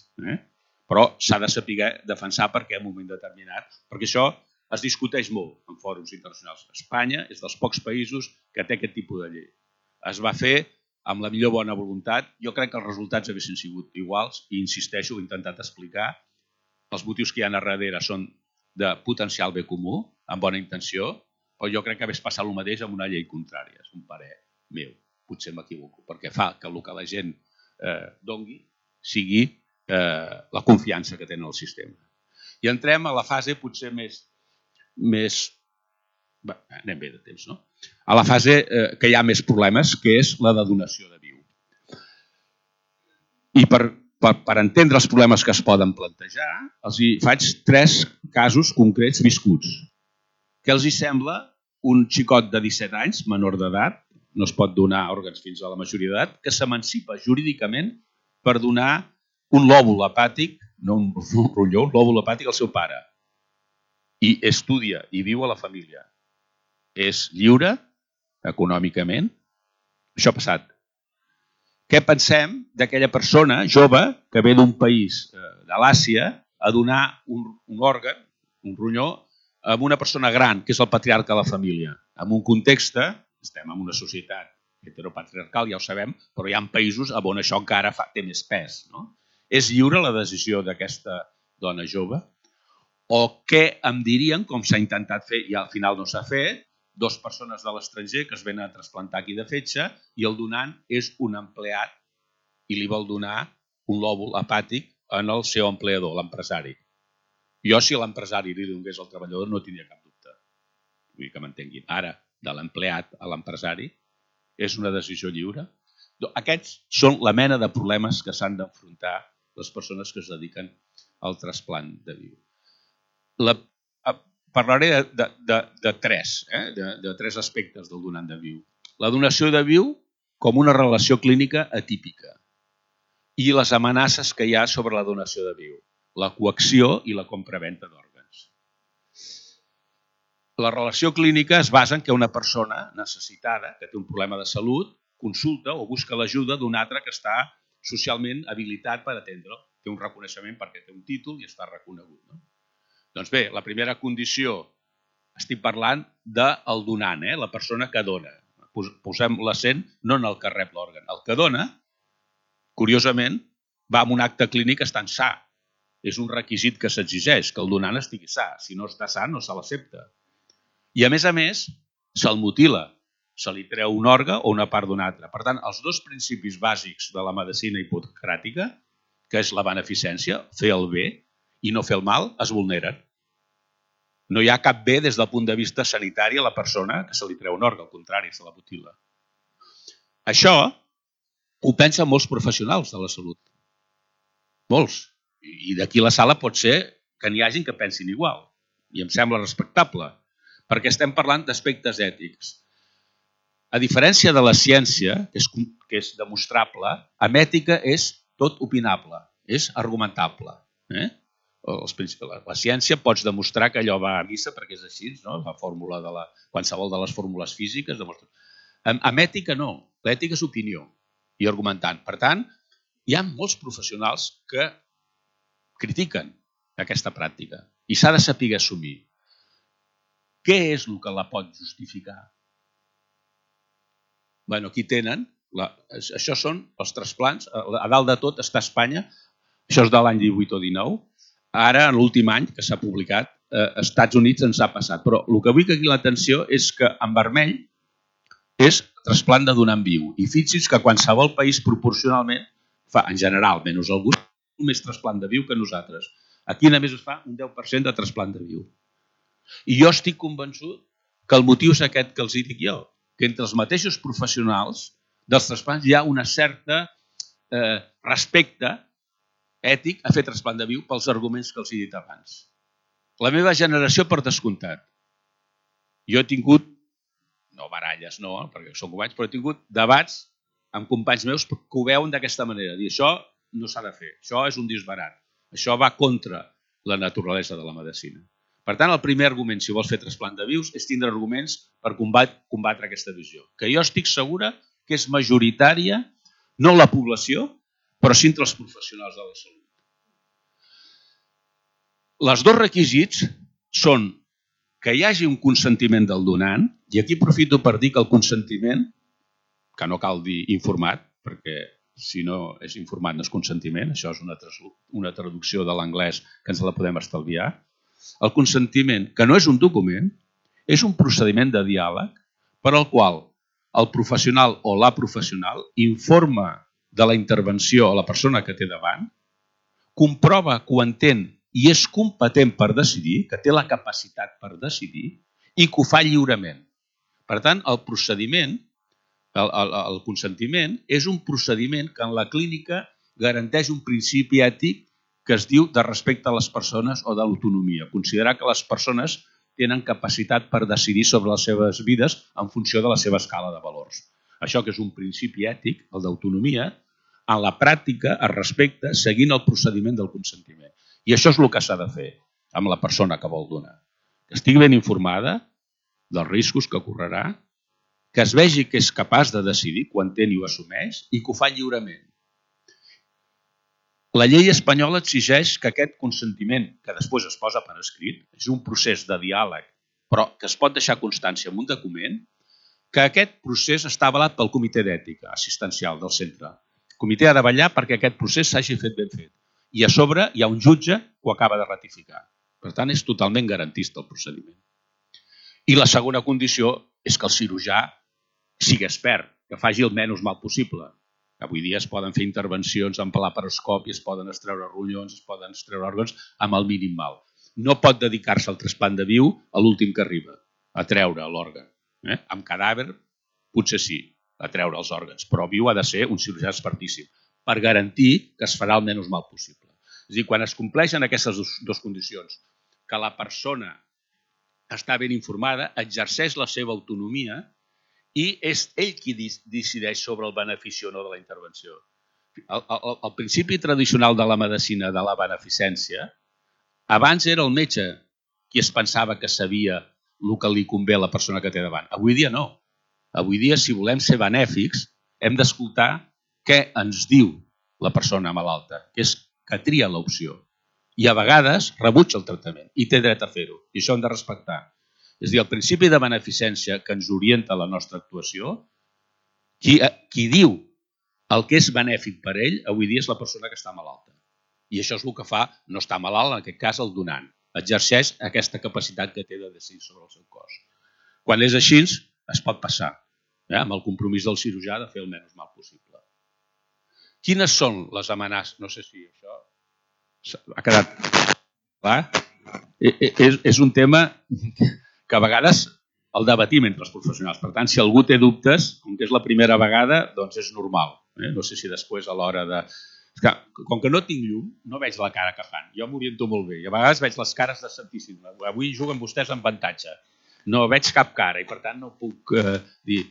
Però s'ha de saber defensar perquè en un moment determinat, perquè això es discuteix molt en fòrums internacionals. Espanya és dels pocs països que té aquest tipus de llei. Es va fer amb la millor bona voluntat. Jo crec que els resultats haguessin sigut iguals i insisteixo, ho he intentat explicar. Els motius que hi ha a darrere són de potencial bé comú, amb bona intenció, però jo crec que hagués passat el mateix amb una llei contrària. És un parer meu, potser m'equivoco, perquè fa que el que la gent dongui sigui la confiança que tenen al sistema. I entrem a la fase potser més anem bé de temps, no? A la fase que hi ha més problemes, que és la de donació de viu. I per entendre els problemes que es poden plantejar, els faig 3 casos concrets viscuts. Què els sembla un xicot de 17 anys, menor d'edat, no es pot donar òrgans fins a la majoria d'edat, que s'emancipa jurídicament per donar un lòbul hepàtic, no un ronyó, un lòbul hepàtic al seu pare. I estudia i viu a la família. És lliure econòmicament. Això ha passat. Què pensem d'aquella persona jove que ve d'un país de l'Àsia a donar un òrgan, un ronyó, a una persona gran, que és el patriarca de la família? En un context, estem en una societat heteropatriarcal, ja ho sabem, però hi ha països on això encara té més pes. És lliure la decisió d'aquesta dona jove? O què em dirien, com s'ha intentat fer i al final no s'ha fet, 2 persones de l'estranger que es venen a trasplantar aquí de fetge i el donant és un empleat i li vol donar un lòbul hepàtic en el seu empleador, l'empresari. Jo, si l'empresari li donés al treballador, no tindria cap dubte. Vull que m'entenguin. Ara, de l'empleat a l'empresari, és una decisió lliure? Aquests són la mena de problemes que s'han d'enfrontar les persones que es dediquen el trasplant de viu. Parlaré de tres aspectes del donant de viu. La donació de viu com una relació clínica atípica i les amenaces que hi ha sobre la donació de viu, la coacció i la compraventa d'òrgans. La relació clínica es basa en que una persona necessitada, que té un problema de salut, consulta o busca l'ajuda d'un altre que està socialment habilitat per atendre'l. Té un reconeixement perquè té un títol i està reconegut. No? Doncs bé, la primera condició, estic parlant del donant, la persona que dona. Posem l'accent no en el que rep l'òrgan. El que dona, curiosament, va amb un acte clínic estant sa. És un requisit que s'exigeix, que el donant estigui sa. Si no està sa, no se l'accepta. I a més, se'l mutila. Se li treu un òrgan o una part d'un altre. Per tant, els dos principis bàsics de la medicina hipocràtica, que és la beneficència, fer el bé i no fer el mal, es vulneren. No hi ha cap bé des del punt de vista sanitari a la persona que se li treu un òrgan, al contrari, se la mutila. Això ho pensen molts professionals de la salut. Molts. I d'aquí la sala pot ser que n'hi hagin que pensin igual. I em sembla respectable, perquè estem parlant d'aspectes ètics. A diferència de la ciència, que és demostrable, amb ètica és tot opinable, és argumentable. La ciència pots demostrar que allò va a missa perquè és així, no? La fórmula de qualsevol de les fórmules físiques demostra. Amb ètica no, l'ètica és opinió i argumentant. Per tant, hi ha molts professionals que critiquen aquesta pràctica i s'ha de saber assumir. Què és el que la pot justificar? Bueno, aquí tenen, això són els trasplants, a dalt de tot està Espanya, això és de l'any 18 o 19, ara, en l'últim any que s'ha publicat, als Estats Units ens ha passat. Però el que vull que aquí l'atenció és que en vermell és trasplant de donant viu. I fixi's que qualsevol país proporcionalment fa, en general, menys alguns, més trasplant de viu que nosaltres. Aquí només es fa un 10% de trasplant de viu. I jo estic convençut que el motiu és aquest que els dic jo, que entre els mateixos professionals dels trasplants hi ha una certa respecte ètic a fer trasplant de viu pels arguments que els he dit abans. La meva generació, per descomptat. Jo he tingut, no baralles, no, perquè són companys, però he tingut debats amb companys meus que ho veuen d'aquesta manera. Dir, això no s'ha de fer, això és un disbarat, això va contra la naturalesa de la medicina. Per tant, el primer argument, si vols fer trasplant de vius, és tindre arguments per combatre aquesta visió. Que jo estic segura que és majoritària, no la població, però sí entre els professionals de la salut. Els dos requisits són que hi hagi un consentiment del donant, i aquí aprofito per dir que el consentiment, que no cal dir informat, perquè si no és informat no és consentiment, això és una traducció de l'anglès que ens la podem estalviar. El consentiment, que no és un document, és un procediment de diàleg per al qual el professional o la professional informa de la intervenció a la persona que té davant, comprova que ho entén i és competent per decidir, que té la capacitat per decidir i que ho fa lliurement. Per tant, el procediment, el consentiment, és un procediment que en la clínica garanteix un principi ètic que es diu de respecte a les persones o de l'autonomia. Considerar que les persones tenen capacitat per decidir sobre les seves vides en funció de la seva escala de valors. Això que és un principi ètic, el d'autonomia, en la pràctica es respecta seguint el procediment del consentiment. I això és el que s'ha de fer amb la persona que vol donar. Que estigui ben informada dels riscos que correrà, que es vegi que és capaç de decidir, que ho entén i ho assumeix i que ho fa lliurement. La llei espanyola exigeix que aquest consentiment, que després es posa per escrit, és un procés de diàleg, però que es pot deixar constància en un document, que aquest procés està avalat pel Comitè d'Ètica Assistencial del centre. El comitè ha de vetllar perquè aquest procés s'hagi fet ben fet. I a sobre hi ha un jutge que ho acaba de ratificar. Per tant, és totalment garantista el procediment. I la segona condició és que el cirurgià sigui expert, que faci el menys mal possible. Avui dia es poden fer intervencions amb laparoscopi, es poden extreure ronyons, es poden extreure òrgans amb el mínim mal. No pot dedicar-se al trasplant de viu a l'últim que arriba, a treure l'òrgan. Amb cadàver, potser sí, a treure els òrgans, però viu ha de ser un cirurgià expertíssim per garantir que es farà el menys mal possible. És a dir, quan es compleixen aquestes dues condicions, que la persona està ben informada, exerceix la seva autonomia i és ell qui decideix sobre el benefici o no de la intervenció. El principi tradicional de la medicina de la beneficència, abans era el metge qui es pensava que sabia el que li convé a la persona que té davant. Avui dia no. Avui dia, si volem ser benèfics, hem d'escoltar què ens diu la persona malalta, que és que tria l'opció. I a vegades rebutja el tractament i té dret a fer-ho. I això hem de respectar. És a dir, el principi de beneficència que ens orienta la nostra actuació, qui diu el que és benèfic per ell, avui dia és la persona que està malalta. I això és el que fa no estar malalt, en aquest cas el donant. Exerceix aquesta capacitat que té de decidir sobre el seu cos. Quan és així, es pot passar, amb el compromís del cirurgià de fer el menys mal possible. Quines són les amenaces? No sé si això ha quedat clar. És un tema que a vegades el debatim entre els professionals. Per tant, si algú té dubtes, com que és la primera vegada, doncs és normal. No sé si després a l'hora de... Com que no tinc llum, no veig la cara que fan. Jo m'oriento molt bé i a vegades veig les cares de santíssim. Avui juguen vostès amb avantatge. No veig cap cara i per tant no puc dir...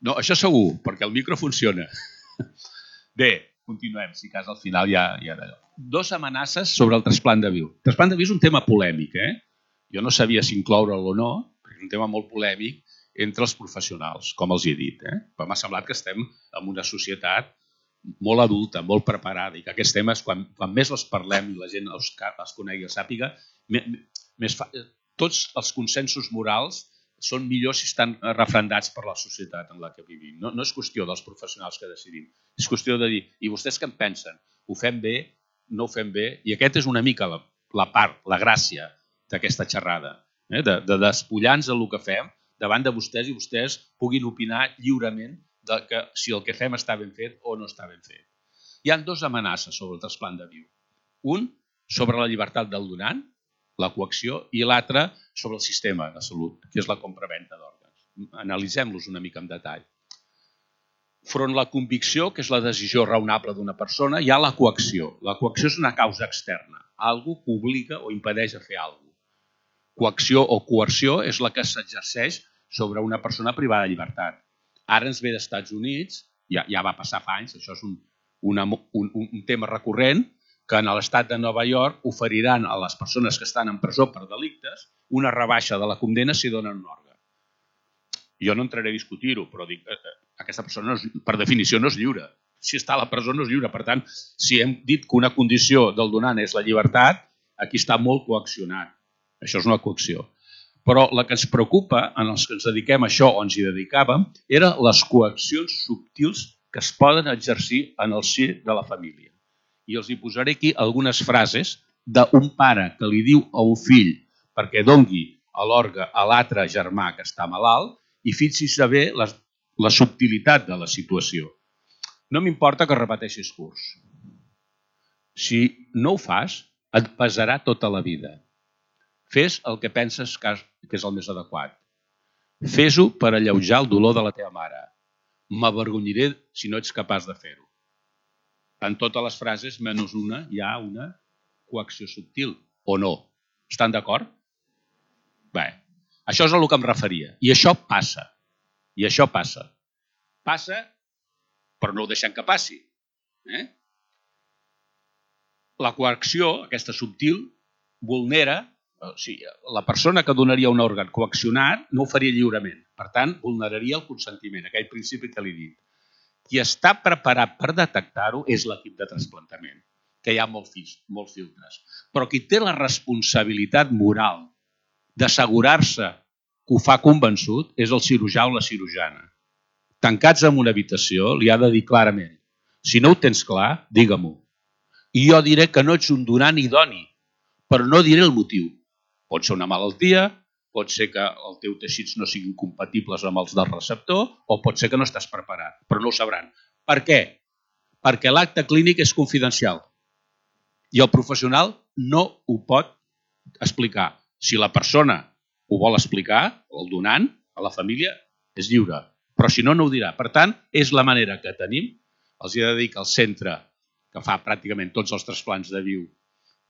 No, això segur, perquè el micro funciona. Bé, continuem, si cas al final ja d'allò. 2 amenaces sobre el trasplant de viu. El trasplant de viu és un tema polèmic, Jo no sabia si incloure'l o no, perquè és un tema molt polèmic entre els professionals, com els he dit. Però m'ha semblat que estem en una societat molt adulta, molt preparada, i que aquests temes, quan més els parlem i la gent els conegui i els sàpiga, tots els consensos morals són millors si estan refrendats per la societat en la que vivim. No és qüestió dels professionals que decidim, és qüestió de dir, i vostès què en pensen? Ho fem bé? No ho fem bé? I aquest és una mica la part, la gràcia d'aquesta xerrada, de despullar-nos del que fem davant de vostès i vostès puguin opinar lliurement de que si el que fem està ben fet o no està ben fet. Hi ha 2 amenaces sobre el trasplant de viu. Un, sobre la llibertat del donant, la coacció, i l'altre sobre el sistema de salut, que és la compra-venta d'òrgans. Analitzem-los una mica en detall. Front la convicció, que és la decisió raonable d'una persona, hi ha la coacció. La coacció és una causa externa, algú que obliga o impedeix a fer alguna cosa. Coacció o coerció és la que s'exerceix sobre una persona privada de llibertat. Ara ens ve dels Estats Units, ja va passar fa anys, això és un tema recurrent, que en l'estat de Nova York oferiran a les persones que estan en presó per delictes una rebaixa de la condemna si donen un òrgan. Jo no entraré a discutir-ho, però dic, aquesta persona per definició no és lliure. Si està a la presó no és lliure. Per tant, si hem dit que una condició del donant és la llibertat, aquí està molt coaccionat. Això és una coacció. Però la que ens preocupa, en els que ens dediquem a això o ens hi dedicàvem, eren les coaccions subtils que es poden exercir en el si de la família. I els hi posaré aquí algunes frases d'un pare que li diu a un fill perquè dongui l'òrgan a l'altre germà que està malalt i fixis bé la subtilitat de la situació. No m'importa que repeteixis curs. Si no ho fas, et pesarà tota la vida. Fes el que penses que és el més adequat. Fes-ho per alleujar el dolor de la teva mare. M'avergonyiré si no ets capaç de fer-ho. En totes les frases, menys una, hi ha una coacció subtil, o no. Estan d'acord? Bé, això és a el que em referia. I això passa. I això passa. Passa, però no ho deixem que passi. La coacció, aquesta subtil, vulnera. La persona que donaria un òrgan coaccionat no ho faria lliurement. Per tant, vulneraria el consentiment, aquell principi que li he dit. Qui està preparat per detectar-ho és l'equip de trasplantament, que hi ha molts filtres. Però qui té la responsabilitat moral d'assegurar-se que ho fa convençut és el cirurgià o la cirurgiana. Tancats en una habitació, li ha de dir clarament: si no ho tens clar, digue-m'ho. I jo diré que no ets un donant idoni, però no diré el motiu. Pot ser una malaltia, pot ser que els teus teixits no siguin compatibles amb els del receptor o pot ser que no estàs preparat, però no ho sabran. Per què? Perquè l'acte clínic és confidencial i el professional no ho pot explicar. Si la persona ho vol explicar, el donant, a la família, és lliure, però si no, no ho dirà. Per tant, és la manera que tenim. Els he de dir que el centre que fa pràcticament tots els trasplants de viu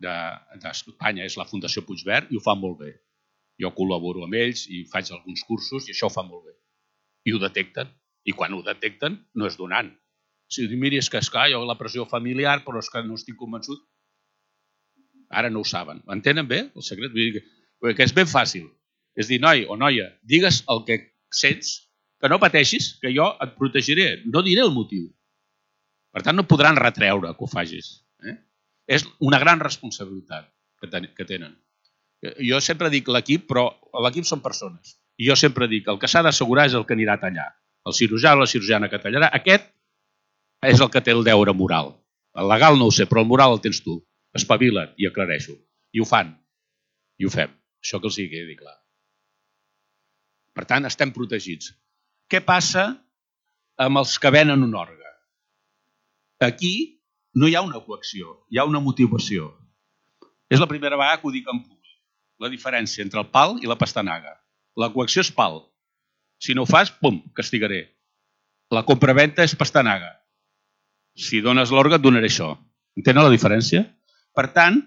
d'Espanya, és la Fundació Puigverd, i ho fa molt bé. Jo col·laboro amb ells i faig alguns cursos i això ho fa molt bé. I ho detecten. I quan ho detecten no és donant. Si diu, miri, és que esclar, jo la pressió familiar, però és que no estic convençut. Ara no ho saben. Entenen bé el secret? Vull dir que és ben fàcil. És dir, noi o noia, digues el que sents, que no pateixis, que jo et protegiré. No diré el motiu. Per tant, no podran retreure que ho facis. És una gran responsabilitat que tenen. Jo sempre dic l'equip, però l'equip són persones. I jo sempre dic, el que s'ha d'assegurar és el que anirà a tallar. El cirurgià o la cirurgiana que tallarà, aquest és el que té el deure moral. El legal no ho sé, però el moral el tens tu. Espavila't i aclareixo. I ho fan. I ho fem. Això que els hi quedi clar. Per tant, estem protegits. Què passa amb els que venen un òrgan? Aquí no hi ha una coacció, hi ha una motivació. És la primera vegada que ho dic en públic. La diferència entre el pal i la pastanaga. La coacció és pal. Si no ho fas, pum, castigaré. La compraventa és pastanaga. Si dones l'òrgan, et donaré això. Entenen la diferència? Per tant,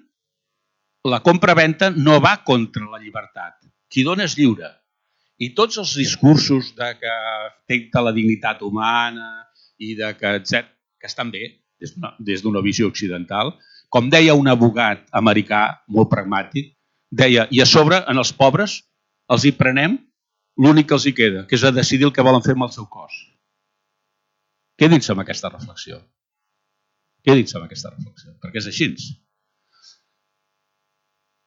la compraventa no va contra la llibertat. Qui dona és lliure. I tots els discursos de que afecta la dignitat humana i de que, etc., que estan bé des d'una visió occidental, com deia un abogat americà molt pragmàtic, deia, i a sobre, en els pobres, els hi prenem l'únic que els hi queda, que és a decidir el que volen fer amb el seu cos. Quedin-se amb aquesta reflexió. Quedin-se amb aquesta reflexió, perquè és així.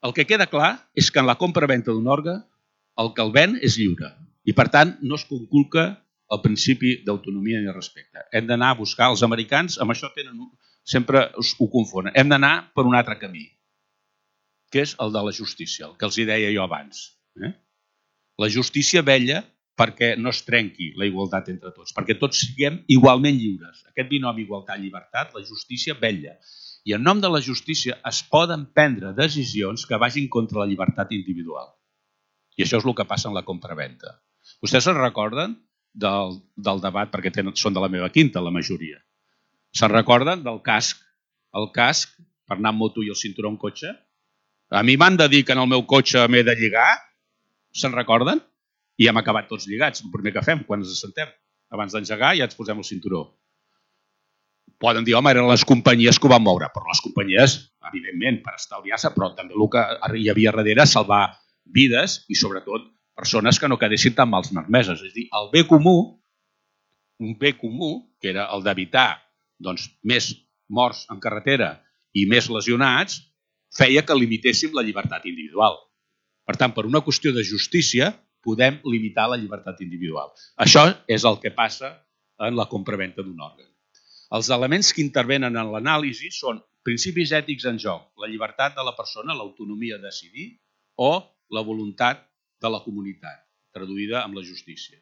El que queda clar és que en la compra-venta d'un òrgan el que el ven és lliure i, per tant, no es conculca el principi d'autonomia i de respecte. Hem d'anar a buscar, els americans, amb això sempre ho confonen, hem d'anar per un altre camí, que és el de la justícia, el que els deia jo abans. La justícia vetlla perquè no es trenqui la igualtat entre tots, perquè tots siguem igualment lliures. Aquest binomi igualtat-llibertat, la justícia vetlla. I en nom de la justícia es poden prendre decisions que vagin contra la llibertat individual. I això és el que passa en la compraventa. Vostès se'n recorden del debat, perquè són de la meva quinta, la majoria. Se'n recorden del casc? El casc, per anar amb moto i el cinturó en cotxe? A mi m'han de dir que en el meu cotxe m'he de lligar? Se'n recorden? I hem acabat tots lligats, el primer que fem quan ens assentem. Abans d'engegar ja ens posem el cinturó. Poden dir, home, eren les companyies que ho van moure, però les companyies, evidentment, per estalviar-se, però també el que hi havia darrere salvar vides i, sobretot, persones que no quedessin tan mals malmeses. És a dir, el bé comú, un bé comú, que era el d'evitar més morts en carretera i més lesionats, feia que limitéssim la llibertat individual. Per tant, per una qüestió de justícia, podem limitar la llibertat individual. Això és el que passa en la compraventa d'un òrgan. Els elements que intervenen en l'anàlisi són principis ètics en joc, la llibertat de la persona, l'autonomia de decidir o la voluntat de la comunitat, traduïda amb la justícia.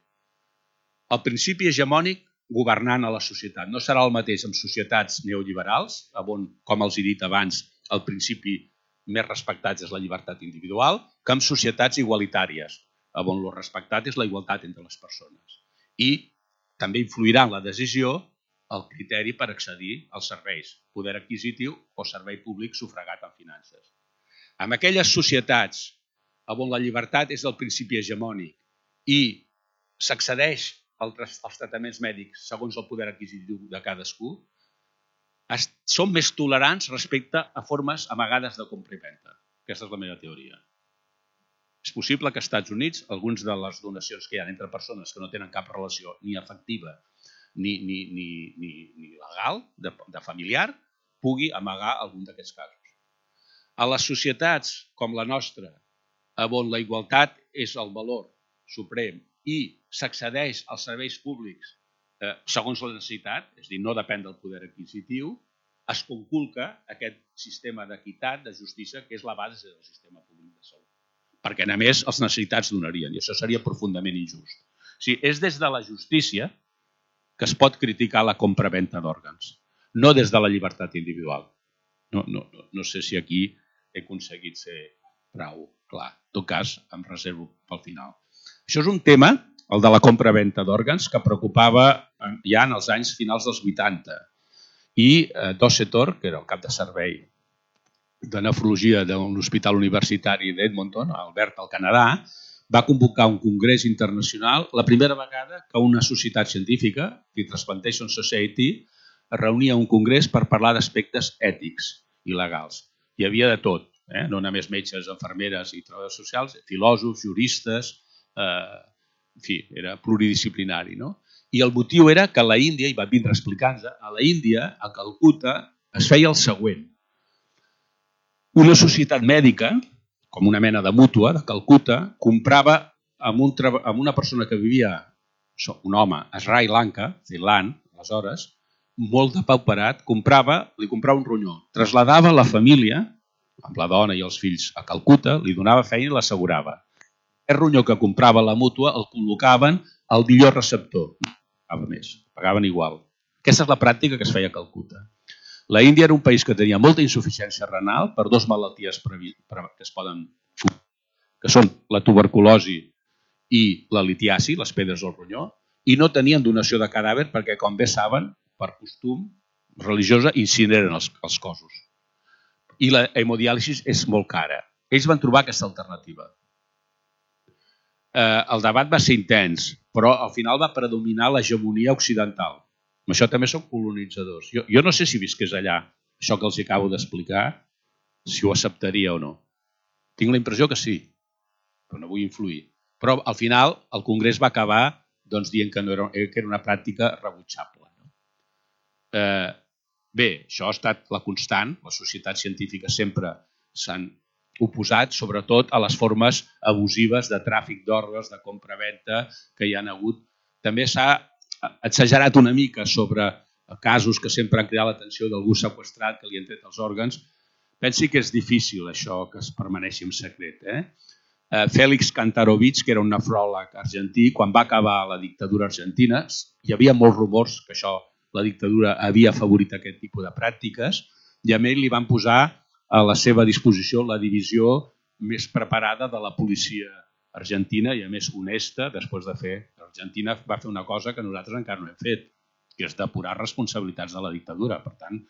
El principi hegemònic governant a la societat no serà el mateix en societats neoliberals, on, com els he dit abans, el principi més respectat és la llibertat individual, que en societats igualitàries, on el respectat és la igualtat entre les persones. I també influirà en la decisió el criteri per accedir als serveis, poder adquisitiu o servei públic sufragat en finances. En aquelles societats on la llibertat és el principi hegemònic i s'accedeix als tractaments mèdics segons el poder adquisitiu de cadascú, són més tolerants respecte a formes amagades de compra i venda. Aquesta és la meva teoria. És possible que als Estats Units algunes de les donacions que hi ha entre persones que no tenen cap relació ni afectiva ni legal, de familiar, pugui amagar algun d'aquests casos. A les societats com la nostra, on la igualtat és el valor suprem i s'accedeix als serveis públics segons la necessitat, és a dir, no depèn del poder adquisitiu, es conculca aquest sistema d'equitat, de justícia, que és la base del sistema públic de salut. Perquè, a més, els necessitats donarien, i això seria profundament injust. O sigui, és des de la justícia que es pot criticar la compra-venta d'òrgans, no des de la llibertat individual. No sé si aquí he aconseguit ser prou clar. En tot cas, em reservo pel final. Això és un tema, el de la compra-venta d'òrgans, que preocupava ja en els anys finals dels 80 i Dossetor, que era el cap de servei de nefrologia de l'Hospital Universitari d'Edmonton, a Alberta, al Canadà, va convocar un congrés internacional la primera vegada que una societat científica, The Transplantation Society, es reunia a un congrés per parlar d'aspectes ètics i legals. Hi havia de tot, no només metges, infermeres i treballadors socials, filòsofs, juristes, en fi, era pluridisciplinari. No? I el motiu era que a la Índia, i va vindre explicant-nos, a la Índia, a Calcuta, es feia el següent. Una societat mèdica, com una mena de mútua de Calcuta, comprava amb una persona que vivia, un home, a Sri Lanka, Thailand, aleshores, molt depauperat, li comprava un ronyó, traslladava la família, amb la dona i els fills, a Calcuta, li donava feina i l'assegurava. El ronyó que comprava la mútua el col·locaven al millor receptor. Pagaven igual. Aquesta és la pràctica que es feia a Calcuta. La Índia era un país que tenia molta insuficiència renal per dues malalties que es poden que són la tuberculosi i la litiasi, les pedres del ronyó, i no tenien donació de cadàver perquè, com bé saben, per costum religiosa, incineren els cossos. I la hemodiàlisi és molt cara. Ells van trobar aquesta alternativa. El debat va ser intens, però al final va predominar l'hegemonia occidental. Amb això també són colonitzadors. Jo no sé si visqués allà, això que els acabo d'explicar, si ho acceptaria o no. Tinc la impressió que sí, però no vull influir. Però al final el Congrés va acabar dient que era una pràctica rebutjable. Bé, això ha estat la constant. Les societats científiques sempre s'han oposat, sobretot a les formes abusives de tràfic d'òrgans, de compra-venta que hi ha hagut. També s'ha exagerat una mica sobre casos que sempre han cridat l'atenció d'algú seqüestrat que li han tret els òrgans. Pensi que és difícil això que es permaneixi en secret. Félix Kantarovich, que era un nefròleg argentí, quan va acabar la dictadura argentina, hi havia molts rumors que la dictadura havia afavorit aquest tipus de pràctiques i a ell li van posar a la seva disposició la divisió més preparada de la policia argentina i a més honesta després de fer. L'Argentina va fer una cosa que nosaltres encara no hem fet, que és depurar responsabilitats de la dictadura. Per tant,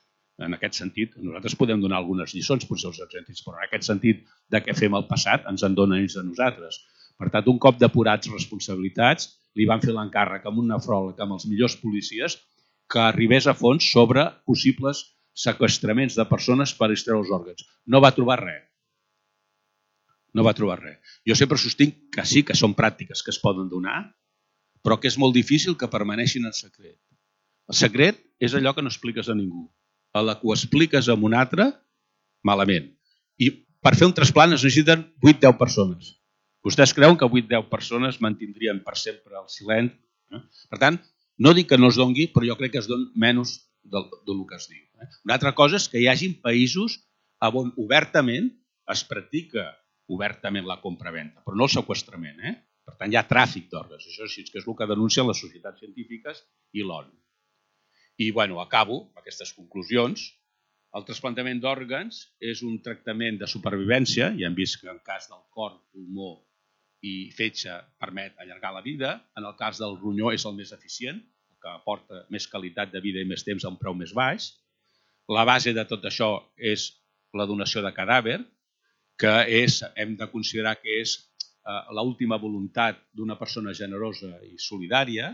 en aquest sentit, nosaltres podem donar algunes lliçons, potser als argentins, però en aquest sentit de què fem al passat ens en donen ells a nosaltres. Per tant, un cop depurats responsabilitats, li van fer l'encàrrec amb un nefròleg, amb els millors policies, que arribés a fons sobre possibles seqüestraments de persones per extreure els òrgans. No va trobar res. No va trobar res. Jo sempre sostinc que sí que són pràctiques que es poden donar, però que és molt difícil que permaneixin en secret. El secret és allò que no expliques a ningú. A la que ho expliques a un altre, malament. I per fer un trasplant es necessiten 8-10 persones. Vostès creuen que 8-10 persones mantindrien per sempre el silenci? Per tant, no dic que no es doni, però jo crec que es doni menys del que es diu. Una altra cosa és que hi hagi països on obertament es practica obertament la compra-venda, però no el seqüestrament. Per tant, hi ha tràfic d'òrgans. Això sí que és el que denuncien les societats científiques i l'ONU. I acabo amb aquestes conclusions. El trasplantament d'òrgans és un tractament de supervivència. Ja hem vist que en el cas del cor, pulmó i fetge permet allargar la vida. En el cas del ronyó és el més eficient, el que aporta més qualitat de vida i més temps a un preu més baix. La base de tot això és la donació de cadàver, que hem de considerar que és l'última voluntat d'una persona generosa i solidària.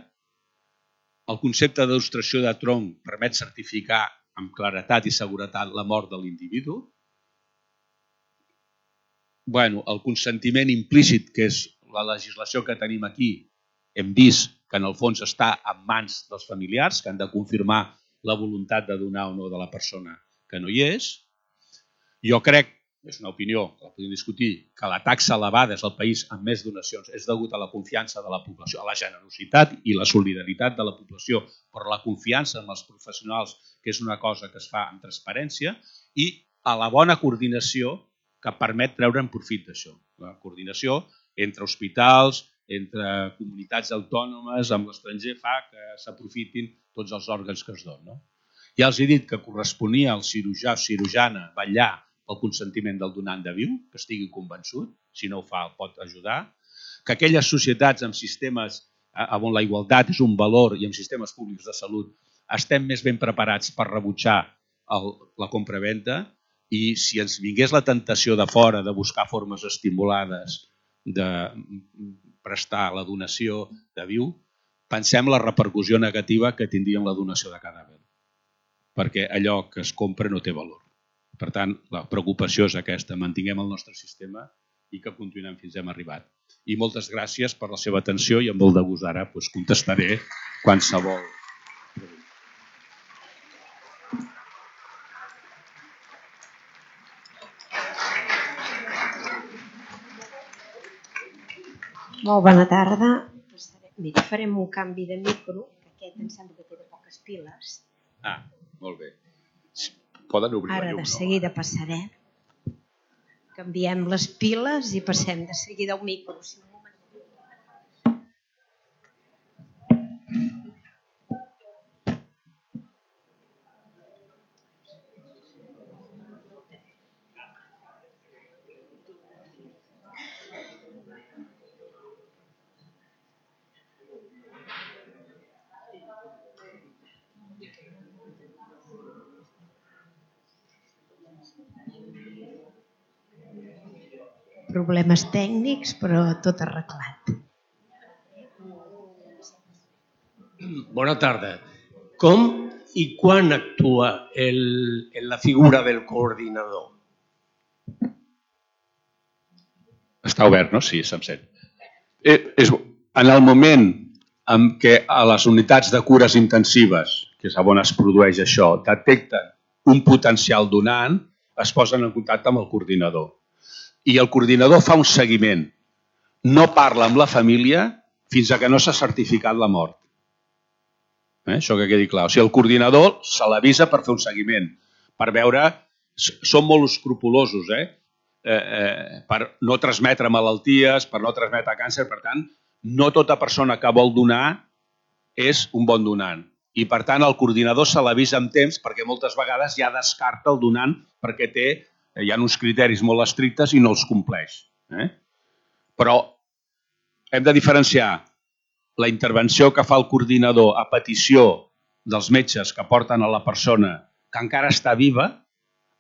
El concepte d'il·lustració de tronc permet certificar amb claretat i seguretat la mort de l'individu. El consentiment implícit, que és la legislació que tenim aquí, hem vist que en el fons està en mans dels familiars, que han de confirmar la voluntat de donar o no de la persona que no hi és. Jo crec, és una opinió que la podem discutir, que la taxa elevada és el país amb més donacions és degut a la confiança de la població, a la generositat i la solidaritat de la població, però la confiança en els professionals, que és una cosa que es fa amb transparència, i a la bona coordinació que permet treure en profit d'això. La coordinació entre hospitals, entre comunitats autònomes, amb l'estranger, fa que s'aprofitin tots els òrgans que es donen. Ja els he dit que corresponia al cirurgià o cirurgiana vetllar pel consentiment del donant de viu, que estigui convençut, si no ho fa pot ajudar, que aquelles societats amb sistemes on la igualtat és un valor i amb sistemes públics de salut estem més ben preparats per rebutjar la compravenda i si ens vingués la tentació de fora de buscar formes estimulades de prestar la donació de viu, pensem la repercussió negativa que tindria la donació de cadàver, perquè allò que es compra no té valor. Per tant, la preocupació és aquesta, mantinguem el nostre sistema i que continuem fins hem arribat. I moltes gràcies per la seva atenció i amb molt de gust ara contestaré qualsevol. Molt bona tarda. Mira, farem un canvi de micro, que aquest em sembla que té de poques piles. Molt bé. Poden obrir Ara de seguida passarem. Canviem les piles i passem de seguida al micro. Problemes tècnics, però tot arreglat. Bona tarda. Com i quan actua la figura del coordinador? Està obert, no? Sí, se'm sent. En el moment en què a les unitats de cures intensives, que és on es produeix això, detecten un potencial donant, es posen en contacte amb el coordinador. I el coordinador fa un seguiment. No parla amb la família fins a que no s'ha certificat la mort. Això que quedi clar. O sigui, el coordinador se l'avisa per fer un seguiment, per veure... Són molt escrupulosos, per no transmetre malalties, per no transmetre càncer. Per tant, no tota persona que vol donar és un bon donant. I, per tant, el coordinador se l'avisa amb temps perquè moltes vegades ja descarta el donant perquè hi ha uns criteris molt estrictes i no els compleix. Però hem de diferenciar la intervenció que fa el coordinador a petició dels metges que porten a la persona que encara està viva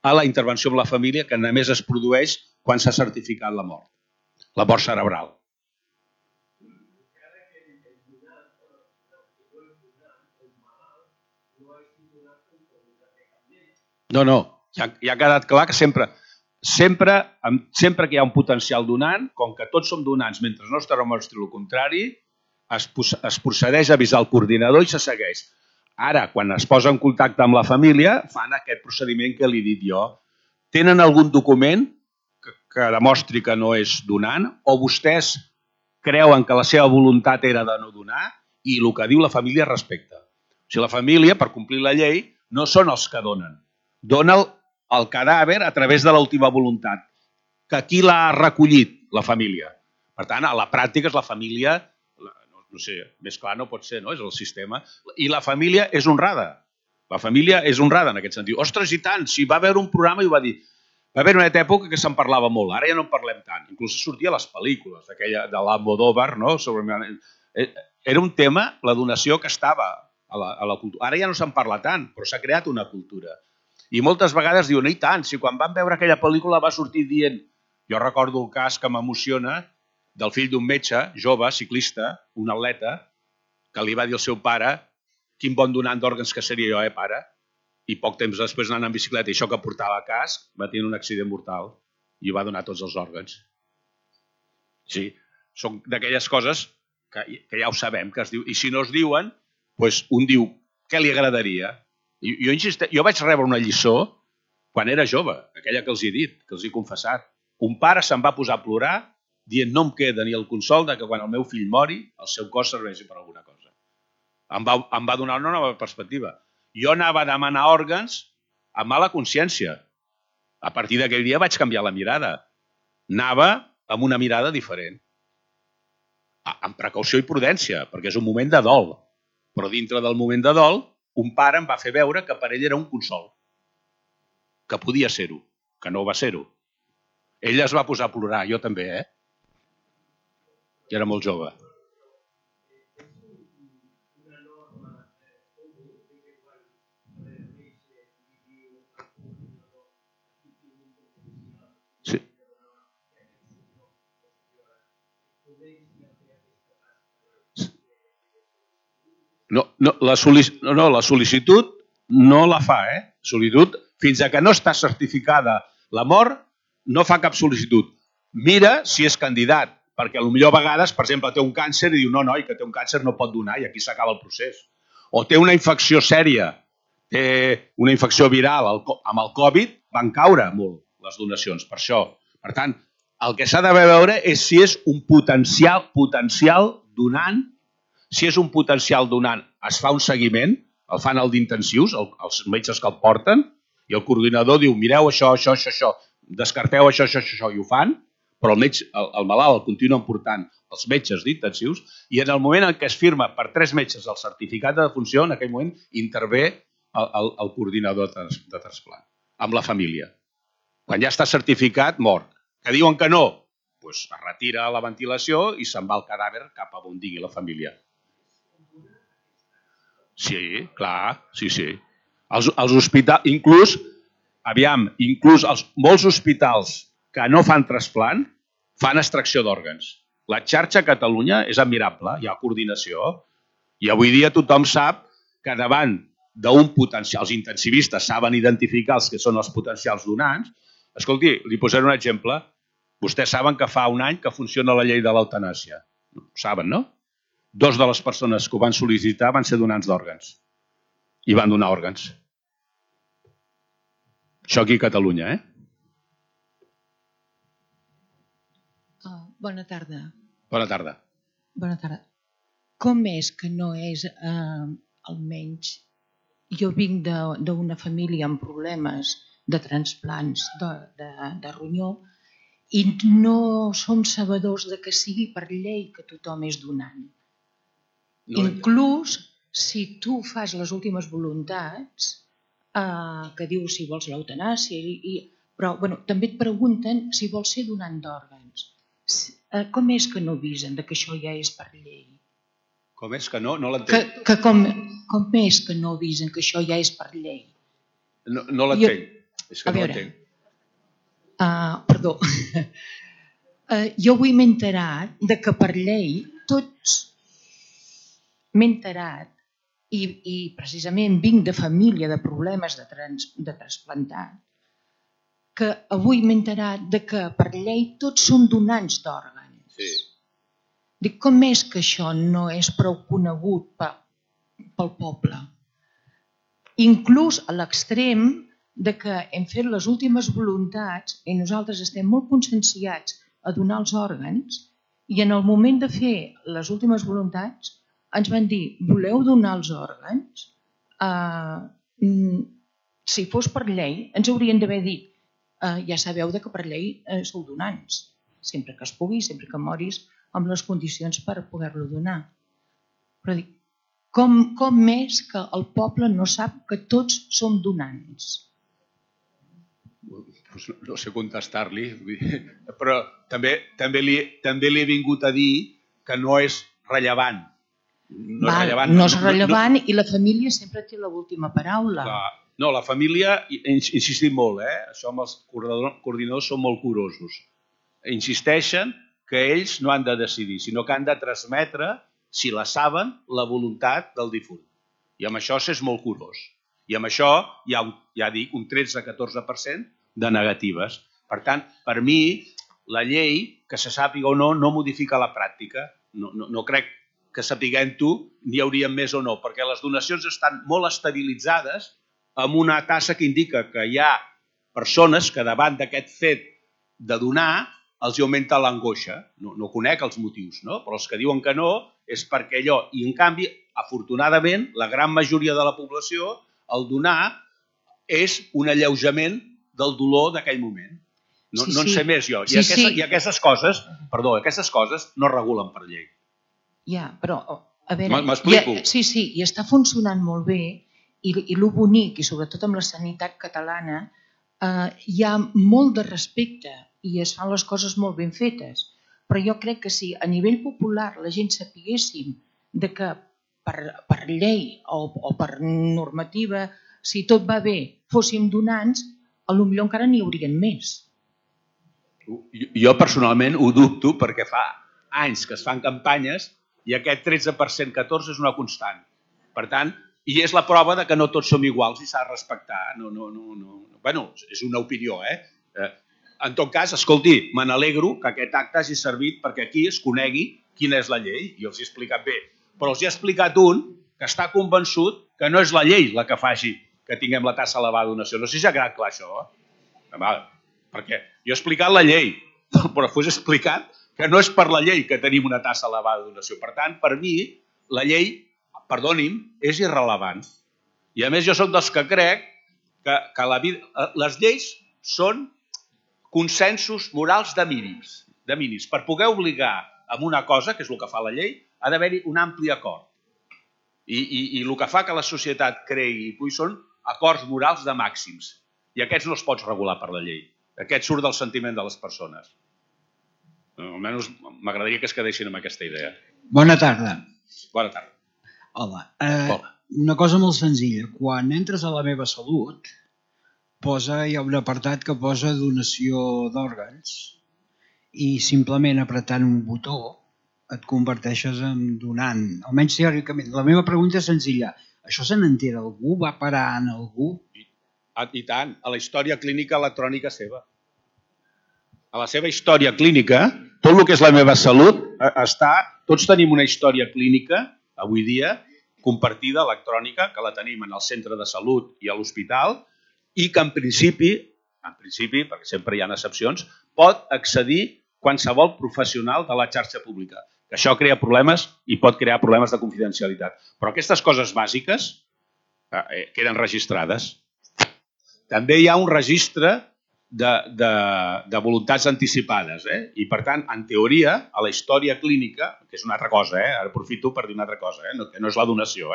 a la intervenció amb la família que només es produeix quan s'ha certificat la mort cerebral. No, ja ha quedat clar que sempre que hi ha un potencial donant, com que tots som donants mentre no es demostri el contrari, es procedeix a avisar el coordinador i se segueix. Ara, quan es posa en contacte amb la família, fan aquest procediment que li he dit jo. Tenen algun document que demostri que no és donant o vostès creuen que la seva voluntat era de no donar i el que diu la família respecta. O sigui, la família, per complir la llei, no són els que donen. Dona el cadàver a través de l'última voluntat. Que qui l'ha recollit? La família. Per tant, a la pràctica és la família, no sé, més clar no pot ser, no? És el sistema. I la família és honrada. La família és honrada en aquest sentit. Ostres, i tant, si va haver un programa i ho va dir. Va haver una època que se'n parlava molt, ara ja no en parlem tant. Inclús sortia a les pel·lícules, aquella de l'Almodóvar, no? Era un tema, la donació que estava a la cultura. Ara ja no se'n parla tant, però s'ha creat una cultura. I moltes vegades diuen, i tant, si quan van veure aquella pel·lícula va sortir dient... Jo recordo el cas que m'emociona del fill d'un metge, jove, ciclista, un atleta, que li va dir al seu pare quin bon donant d'òrgans que seria jo, pare? I poc temps després anant en bicicleta i això que portava casc va tenir un accident mortal i va donar tots els òrgans. Sí, són d'aquelles coses que ja ho sabem, que es diu. I si no es diuen, doncs un diu, què li agradaria? Jo vaig rebre una lliçó quan era jove, aquella que els he dit, que els he confessat. Un pare se'n va posar a plorar dient no em queda ni el consol de que quan el meu fill mori el seu cos serveixi per alguna cosa. Em va donar una nova perspectiva. Jo anava a demanar òrgans amb mala consciència. A partir d'aquell dia vaig canviar la mirada. Anava amb una mirada diferent. Amb precaució i prudència, perquè és un moment de dol. Però dintre del moment de dol, un pare em va fer veure que per ell era un consol. Que podia ser-ho, que no va ser-ho. Ell es va posar a plorar, jo també, I era molt jove. La sol·licitud no la fa, Sol·licitud, fins a que no està certificada la mort, no fa cap sol·licitud. Mira si és candidat, perquè potser a vegades, per exemple, té un càncer i diu no, noi, que té un càncer no pot donar i aquí s'acaba el procés. O té una infecció sèria, té una infecció viral, amb el Covid van caure molt les donacions, per això. Per tant, el que s'ha de veure és si és un potencial donant. Si és un potencial donant, es fa un seguiment, el fan el d'intensius, els metges que el porten, i el coordinador diu, mireu això, descarteu això, i ho fan, però el malalt el continuen portant els metges d'intensius, i en el moment en què es firma per 3 metges el certificat de defunció, en aquell moment intervé el coordinador de trasplant, amb la família. Quan ja està certificat, mort. Que diuen que no, doncs es retira la ventilació i se'n va el cadàver cap a on digui la família. Sí, clar, sí. Els hospitals, inclús molts hospitals que no fan trasplant fan extracció d'òrgans. La xarxa a Catalunya és admirable, hi ha coordinació, i avui dia tothom sap que davant d'un potencial, els intensivistes saben identificar els que són els potencials donants. Escolti, li posaré un exemple. Vostès saben que fa un any que funciona la llei de l'eutanàsia. Ho saben, no? 2 de les persones que ho van sol·licitar van ser donants d'òrgans i van donar òrgans. Això aquí a Catalunya, Bona tarda. Bona tarda. Bona tarda. Com és que no és, almenys, jo vinc d'una família amb problemes de transplants de ronyó i no som sabedors de que sigui per llei que tothom és donant. Inclús si tu fas les últimes voluntats, que dius si vols l'eutanàsia, però també et pregunten si vols ser donant d'òrgans. Com és que no avisen que això ja és per llei? Com és que no? No l'entenc. Com és que no avisen que això ja és per llei? No l'entenc. És que no l'entenc. Perdó. Jo avui m'he enterat que per llei tots m'he enterat i precisament vinc de família de problemes de trasplantat, que avui m'he enterat que per llei tots som donants d'òrgans. Sí. Dic, com és que això no és prou conegut pel poble? Inclús a l'extrem que hem fet les últimes voluntats i nosaltres estem molt conscienciats a donar els òrgans i en el moment de fer les últimes voluntats ens van dir, voleu donar els òrgans? Si fos per llei, ens haurien d'haver dit, ja sabeu que per llei sou donants, sempre que es pugui, sempre que moris amb les condicions per poder-lo donar. Però dic, com és que el poble no sap que tots som donants? No sé contestar-li, però també li he vingut a dir que no és rellevant. No és rellevant i la família sempre té l'última paraula. No, la família, insistim molt, això amb els coordinadors són molt curosos. Insisteixen que ells no han de decidir, sinó que han de transmetre, si la saben, la voluntat del difunt. I amb això s'és molt curós. I amb això hi ha, ja dic, un 13-14% de negatives. Per tant, per mi, la llei, que se sàpiga o no, no modifica la pràctica. No crec que sapiguem-ho n'hi haurien més o no, perquè les donacions estan molt estabilitzades amb una tassa que indica que hi ha persones que davant d'aquest fet de donar els augmenta l'angoixa. No conec els motius, no? Però els que diuen que no és perquè allò. I en canvi, afortunadament, la gran majoria de la població, el donar és un alleujament del dolor d'aquell moment. No en sé més jo. I aquestes coses no regulen per llei. Ja, però, a veure... M'explico? Sí, i està funcionant molt bé i el bonic, i sobretot amb la sanitat catalana, hi ha molt de respecte i es fan les coses molt ben fetes. Però jo crec que si a nivell popular la gent sapiguéssim que per llei o per normativa, si tot va bé, fóssim donants, potser encara n'hi haurien més. Jo personalment ho dubto perquè fa anys que es fan campanyes i aquest 13% 14 és una constant. Per tant, i és la prova de que no tots som iguals i s'ha de respectar. Bueno, és una opinió, En tot cas, escolti, me n'alegro que aquest acte hagi servit perquè aquí es conegui quina és la llei, i els he explicat bé. Però els he explicat un que està convençut que no és la llei la que faci que tinguem la taxa elevada de donació. No sé si ha quedat clar això. Perquè jo he explicat la llei, però després he explicat que no és per la llei que tenim una taxa elevada de donació. Per tant, per mi, la llei, perdoni'm, és irrellevant. I a més jo soc dels que crec que les lleis són consensos morals de mínims. Per poder obligar amb una cosa, que és el que fa la llei, ha d'haver-hi un ampli acord. I el que fa que la societat cregui són acords morals de màxims. I aquests no es pots regular per la llei. Aquest surt del sentiment de les persones. Almenys m'agradaria que es quedessin amb aquesta idea. Bona tarda. Bona tarda. Hola. Una cosa molt senzilla. Quan entres a La meva salut, hi ha un apartat que posa donació d'òrgans i simplement apretant un botó et converteixes en donant, almenys teòricament. La meva pregunta és senzilla. Això se n'entera algú? Va parar en algú? I tant, a la història clínica electrònica seva. A la seva història clínica, tot el que és La meva salut, tots tenim una història clínica, avui dia, compartida electrònica, que la tenim en el centre de salut i a l'hospital, i que en principi, perquè sempre hi ha excepcions, pot accedir qualsevol professional de la xarxa pública. Que això crea problemes i pot crear problemes de confidencialitat. Però aquestes coses bàsiques queden registrades. També hi ha un registre de voluntats anticipades. I, per tant, en teoria, a la història clínica, que és una altra cosa, ara aprofito per dir una altra cosa, que no és la donació,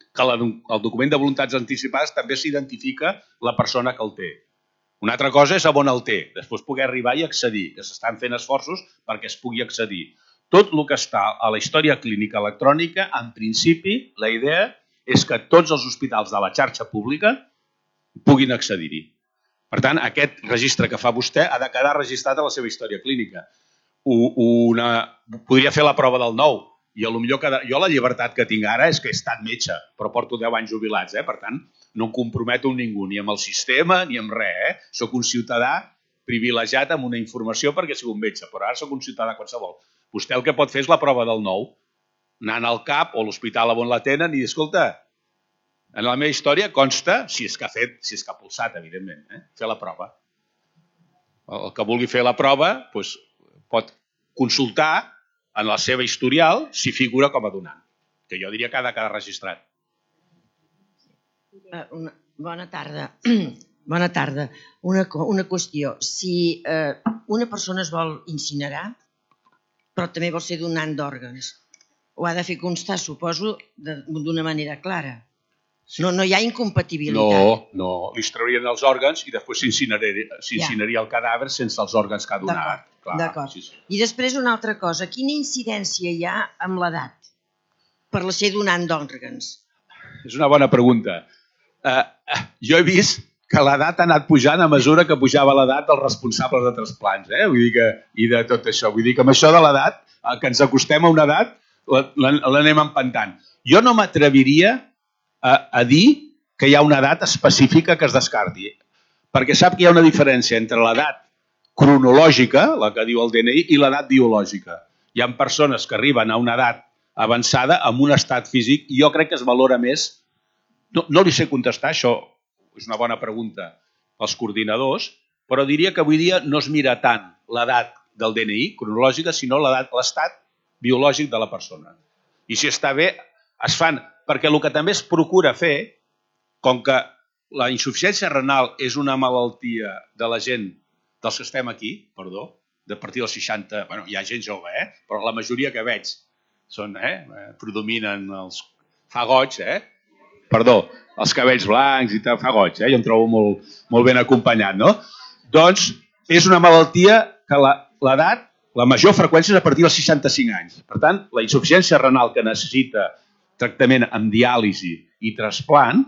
que el document de voluntats anticipades també s'identifica la persona que el té. Una altra cosa és on el té, després poder arribar i accedir, que s'estan fent esforços perquè es pugui accedir. Tot el que està a la història clínica electrònica, en principi, la idea és que tots els hospitals de la xarxa pública puguin accedir-hi. Per tant, aquest registre que fa vostè ha de quedar registrat a la seva història clínica. Podria fer la prova del nou, i potser jo la llibertat que tinc ara és que he estat metge, però porto 10 anys jubilats, per tant, no em comprometo amb ningú, ni amb el sistema, ni amb res. Soc un ciutadà privilegiat amb una informació perquè soc un metge, però ara soc un ciutadà qualsevol. Vostè el que pot fer és la prova del nou, anant al CAP o a l'hospital on la tenen i dir, escolta, en la meva història consta, si és que ha pulsat, evidentment, fer la prova. El que vulgui fer la prova pot consultar en la seva historial si figura com a donant, que jo diria que ha de quedar registrat. Bona tarda. Bona tarda. Una qüestió. Si una persona es vol incinerar, però també vol ser donant d'òrgans, ho ha de fer constar, suposo, d'una manera clara. No hi ha incompatibilitat. No, li trauríem els òrgans i després s'incineraria el cadàver sense els òrgans que ha donat. D'acord. I després una altra cosa. Quina incidència hi ha amb l'edat per ser donant d'òrgans? És una bona pregunta. Jo he vist que l'edat ha anat pujant a mesura que pujava l'edat dels responsables de trasplants, i de tot això. Vull dir que amb això de l'edat, que ens acostem a una edat, l'anem empantant. Jo no m'atreviria a dir que hi ha una edat específica que es descarti, perquè sap que hi ha una diferència entre l'edat cronològica, la que diu el DNI, i l'edat biològica. Hi ha persones que arriben a una edat avançada amb un estat físic i jo crec que es valora més. No li sé contestar, això és una bona pregunta pels coordinadors, però diria que avui dia no es mira tant l'edat del DNI cronològica, sinó l'estat biològic de la persona. I si està bé, es fan, perquè el que també es procura fer, com que la insuficiència renal és una malaltia de la gent dels que estem aquí, de partir dels 60, hi ha gent jove, però la majoria que veig predominen els fagots, els cabells blancs i tal, fagots, jo em trobo molt ben acompanyat, no? Doncs és una malaltia que l'edat, la major freqüència és a partir dels 65 anys. Per tant, la insuficiència renal que necessita tractament amb diàlisi i trasplant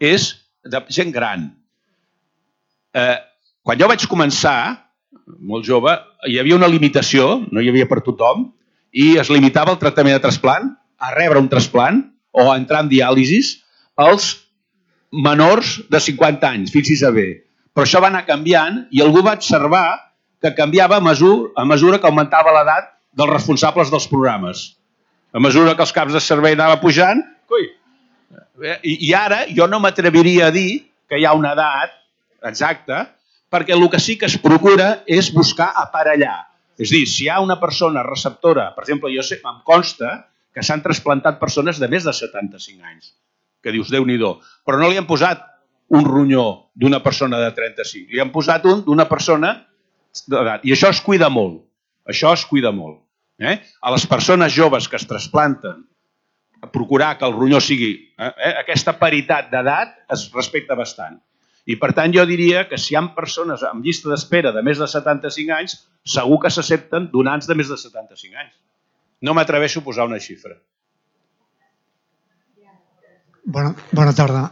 és de gent gran. Quan jo vaig començar, molt jove, hi havia una limitació, no hi havia per tothom, i es limitava el tractament de trasplant a rebre un trasplant o a entrar en diàlisis als menors de 50 anys, fixi's bé. Però això va anar canviant i algú va observar que canviava a mesura que augmentava l'edat dels responsables dels programes. A mesura que els caps de servei anava pujant, i ara jo no m'atreviria a dir que hi ha una edat exacta, perquè el que sí que es procura és buscar aparellar. És a dir, si hi ha una persona receptora, per exemple, jo sé, em consta que s'han trasplantat persones de més de 75 anys, que dius, Déu-n'hi-do, però no li han posat un ronyó d'una persona de 35, li han posat un d'una persona d'edat. I això es cuida molt. Això es cuida molt. A les persones joves que es trasplanten, procurar que el ronyó sigui... aquesta paritat d'edat es respecta bastant. I per tant jo diria que si hi ha persones amb llista d'espera de més de 75 anys, segur que s'accepten donants de més de 75 anys. No m'atreveixo a posar una xifra. Bona tarda.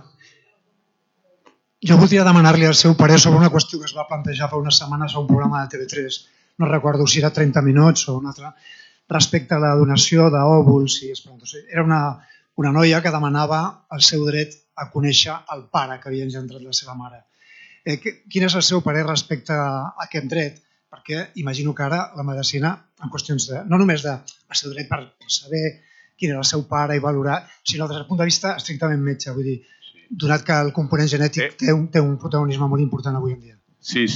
Jo voldria demanar-li el seu parer sobre una qüestió que es va plantejar fa unes setmanes a un programa de TV3, no recordo si era 30 minuts o un altre, respecte a la donació d'òvuls i esperantos. Era una noia que demanava el seu dret a conèixer el pare que havia engendrat la seva mare. Quin és el seu parer respecte a aquest dret? Perquè imagino que ara la medicina, en qüestions de, no només del seu dret per saber quin era el seu pare i valorar, sinó des del punt de vista estrictament metge, vull dir, donat que el component genètic té un protagonisme molt important avui en dia. Sí.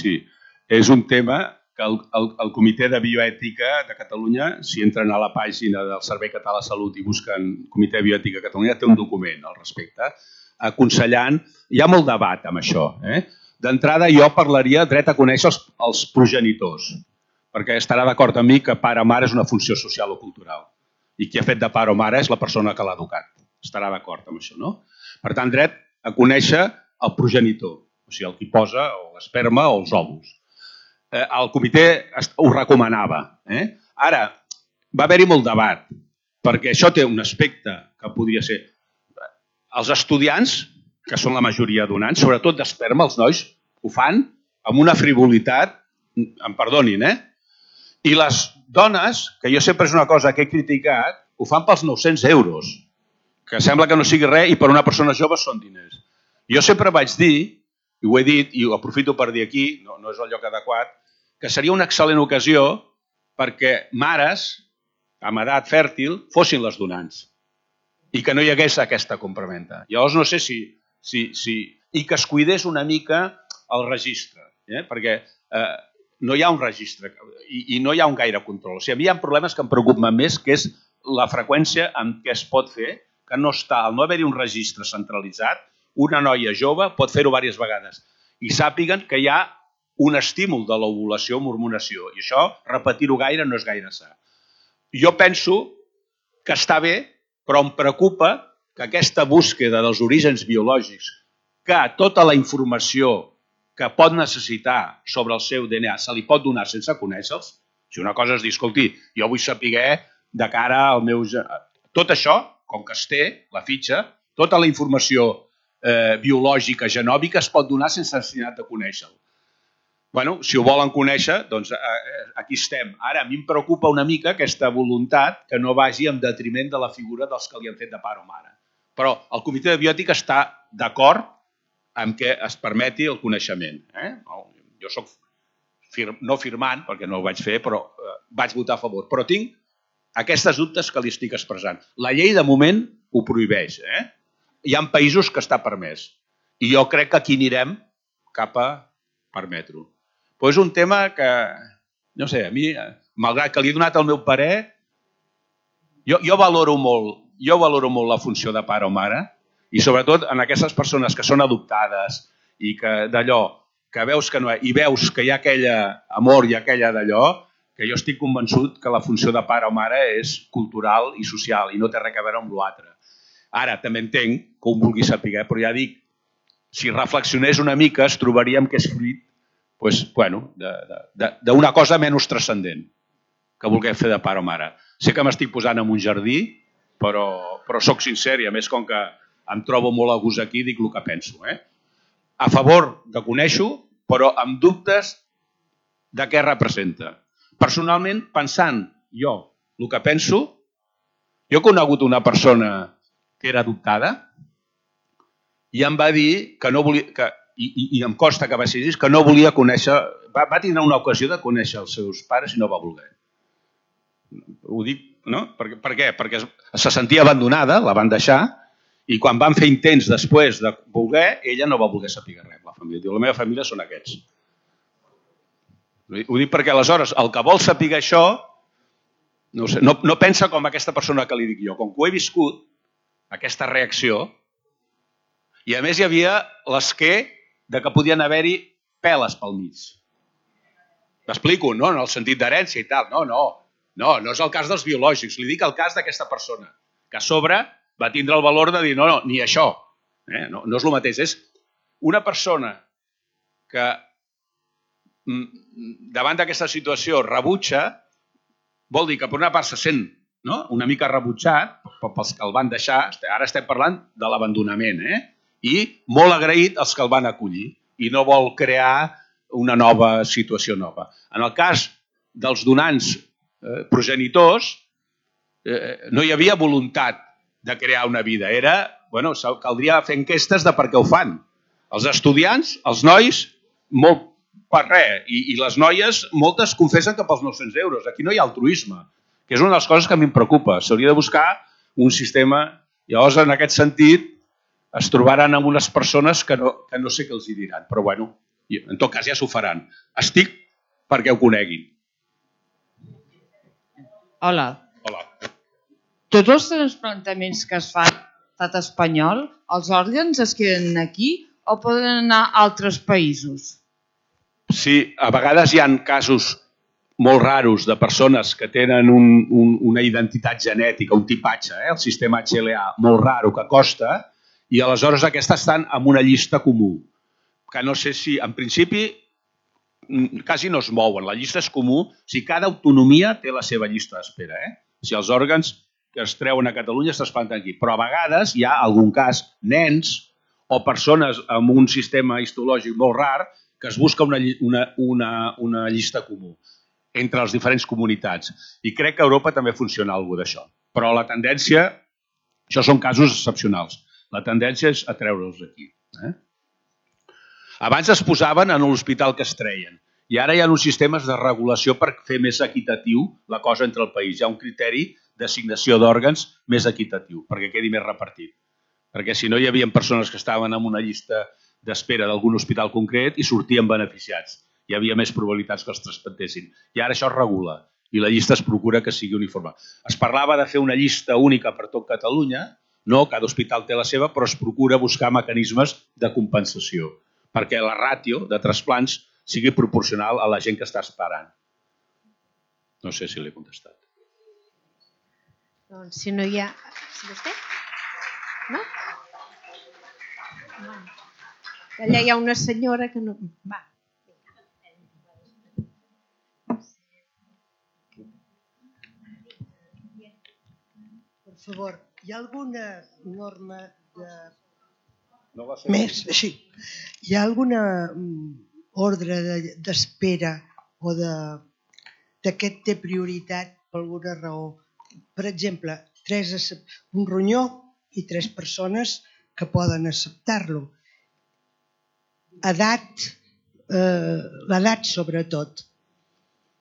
És un tema que el Comitè de Bioètica de Catalunya, si entren a la pàgina del Servei Català de Salut i busquen Comitè de Bioètica de Catalunya, té un document al respecte, aconsellant... Hi ha molt debat amb això. D'entrada, jo parlaria dret a conèixer els progenitors, perquè estarà d'acord amb mi que pare o mare és una funció social o cultural. I qui ha fet de pare o mare és la persona que l'ha educat. Estarà d'acord amb això, no? Per tant, dret a conèixer el progenitor, o sigui, el que posa l'esperma o els òvuls. El comitè ho recomanava. Ara, va haver-hi molt debat, perquè això té un aspecte que podria ser... Els estudiants, que són la majoria donants, sobretot d'esperma, els nois, ho fan amb una frivolitat, em perdonin, I les dones, que jo sempre és una cosa que he criticat, ho fan pels 900 euros, que sembla que no sigui res i per una persona jove són diners. Jo sempre vaig dir, i ho he dit, i ho aprofito per dir aquí, no és el lloc adequat, que seria una excel·lent ocasió perquè mares amb edat fèrtil fossin les donants i que no hi hagués aquesta compraventa. Llavors no sé si... I que es cuidés una mica el registre, perquè no hi ha un registre i no hi ha un gaire control. O sigui, a mi hi ha problemes que em preocupen més, que és la freqüència en què es pot fer, que no està, al no haver-hi un registre centralitzat, una noia jove pot fer-ho diverses vegades i sàpiguen que hi ha un estímul de l'ovulació o hormonació i això, repetir-ho gaire, no és gaire sa. Jo penso que està bé, però em preocupa que aquesta búsqueda dels orígens biològics, que tota la informació que pot necessitar sobre el seu DNA se li pot donar sense conèixer-los, si una cosa és dir, escolti, jo vull saber de cara al meu... Tot això, com que es té, la fitxa, tota la informació biològica, genòmica, es pot donar sense necessitat de conèixer-lo. Bueno, si ho volen conèixer, doncs aquí estem. Ara, a mi em preocupa una mica aquesta voluntat que no vagi en detriment de la figura dels que li han fet de pare o mare. Però el Comitè de Biòtica està d'acord amb que es permeti el coneixement. Jo soc no firmant, perquè no ho vaig fer, però vaig votar a favor. Però tinc aquestes dubtes que li estic expressant. La llei de moment ho prohibeix. Hi ha països que està permès. I jo crec que aquí anirem cap a permetre-ho. Però és un tema que, no sé, a mi, malgrat que li he donat el meu parer, jo valoro molt la funció de pare o mare i sobretot en aquestes persones que són adoptades i que d'allò, que veus que no i veus que hi ha aquella amor i aquella d'allò, que jo estic convençut que la funció de pare o mare és cultural i social i no té res a veure amb l'altre. Ara, també entenc que ho vulgui saber, però ja dic, si reflexionés una mica es trobaríem que és fruit d'una cosa menys transcendent que vulguem fer de pare o mare. Sé que m'estic posant en un jardí, però soc sincer i a més com que em trobo molt a gust aquí dic el que penso. A favor de conèixer-ho, però amb dubtes de què representa. Personalment, pensant jo el que penso, jo he conegut una persona que era adoptada i em va dir que no volia, i em costa que va ser així, que no volia conèixer, va tindre una ocasió de conèixer els seus pares i no va voler. Ho dic, no? Per què? Perquè se sentia abandonada, la van deixar, i quan van fer intents després de voler, ella no va voler saber res. La família diu, la meva família són aquests. Ho dic perquè aleshores el que vol saber això no sé, no pensa com aquesta persona que li dic jo. Com que ho he viscut, aquesta reacció, i a més hi havia l'esquer de que podien haver-hi peles pel mig. M'explico, no? En el sentit d'herència i tal. No és el cas dels biològics. Li dic el cas d'aquesta persona, que a sobre va tindre el valor de dir no, ni això. No és el mateix. És una persona que davant d'aquesta situació rebutja, vol dir que per una part se sent una mica rebutjat pels que el van deixar, ara estem parlant de l'abandonament, i molt agraït als que el van acollir i no vol crear una nova situació nova. En el cas dels donants progenitors, no hi havia voluntat de crear una vida. Caldria fer enquestes de per què ho fan. Els estudiants, els nois, molt per res. I les noies, moltes confessen que pels 900 euros. Aquí no hi ha altruisme, que és una de les coses que a mi em preocupa. S'hauria de buscar un sistema. Llavors, en aquest sentit, es trobaran amb unes persones que no sé què els hi diran. Però, bueno, en tot cas ja s'ho faran. Estic perquè ho coneguin. Hola. Tots els transplantaments que es fan a l'estat espanyol, els òrgans es queden aquí o poden anar a altres països? Sí, a vegades hi ha casos molt raros de persones que tenen una identitat genètica, un tipatge, el sistema HLA, molt raro, que costa, i aleshores aquestes estan en una llista comú, que no sé si, en principi, quasi no es mouen. La llista és comú, o sigui, cada autonomia té la seva llista d'espera. Si els òrgans que es treuen a Catalunya es trasplanten aquí, però a vegades hi ha algun cas, nens o persones amb un sistema histològic molt rar, que es busca una llista comú entre les diferents comunitats. I crec que a Europa també funciona alguna cosa d'això. Però la tendència, això són casos excepcionals, la tendència és a treure'ls aquí. Abans es posaven en l'hospital que es treien i ara hi ha uns sistemes de regulació per fer més equitatiu la cosa entre el país. Hi ha un criteri d'assignació d'òrgans més equitatiu perquè quedi més repartit. Perquè si no hi havia persones que estaven en una llista d'espera d'algun hospital concret i sortien beneficiats. Hi havia més probabilitats que els trasplantessin. I ara això es regula i la llista es procura que sigui uniforme. Es parlava de fer una llista única per tot Catalunya, no, cada hospital té la seva, però es procura buscar mecanismes de compensació perquè la ràtio de trasplants sigui proporcional a la gent que està esperant. No sé si l'he contestat. Doncs si no hi ha... Si vostè? No? Allà hi ha una senyora que no... Va. Per favor, hi ha alguna norma de... Sí. Hi ha alguna ordre d'espera o de què té prioritat per alguna raó? Per exemple, un ronyó i 3 persones que poden acceptar-lo. L'edat sobretot.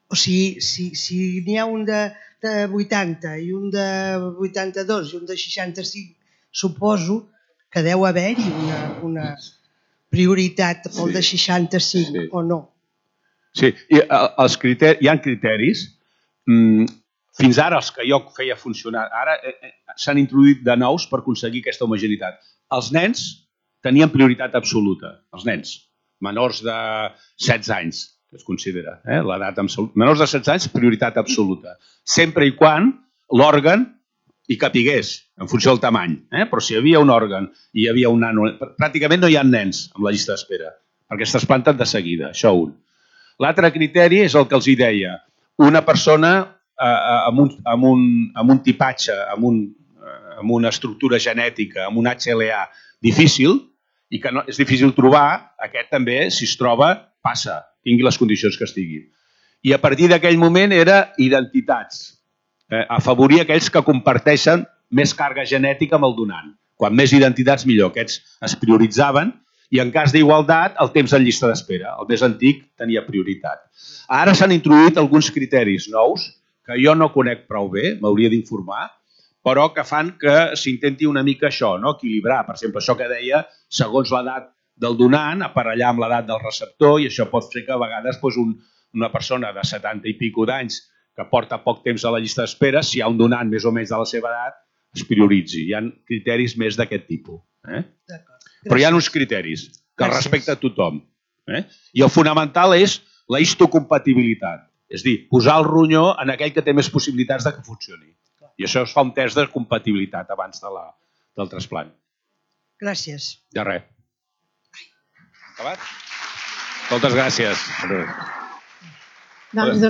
O sigui, si n'hi ha un de 80 i un de 82 i un de 65, suposo que deu haver-hi una prioritat pel de 65 o no. Sí, hi ha criteris. Fins ara els que jo feia funcionar, ara s'han introduït de nous per aconseguir aquesta homogeneïtat. Els nens tenien prioritat absoluta, els nens, menors de 16 anys, que es considera, l'edat absoluta. Menors de 16 anys, prioritat absoluta. Sempre i quan l'òrgan hi capigués, en funció del tamany. Però si hi havia un òrgan i hi havia un nano... Pràcticament no hi ha nens amb la llista d'espera, perquè es trasplanten de seguida, això un. L'altre criteri és el que els hi deia. Una persona amb un tipatge, amb una estructura genètica, amb un HLA difícil, i que és difícil trobar, aquest també, si es troba, passa, tingui les condicions que estigui. I a partir d'aquell moment era identitats. Afavorir aquells que comparteixen més càrrega genètica amb el donant. Quan més identitats millor. Aquests es prioritzaven i en cas d'igualtat el temps en llista d'espera. El més antic tenia prioritat. Ara s'han introduït alguns criteris nous que jo no conec prou bé, m'hauria d'informar, però que fan que s'intenti una mica això, no? Equilibrar. Per exemple, això que deia, segons l'edat del donant, aparellar amb l'edat del receptor, i això pot fer que a vegades una persona de 70 i pico d'anys que porta poc temps a la llista d'espera, si hi ha un donant més o menys de la seva edat, es prioritzi. Hi ha criteris més d'aquest tipus. Però hi ha uns criteris que respecta a tothom. I el fonamental és la histocompatibilitat. És a dir, posar el ronyó en aquell que té més possibilitats de que funcioni. I això es fa un test de compatibilitat abans del trasplant. Gràcies. De res. Acabat? Moltes gràcies. Doncs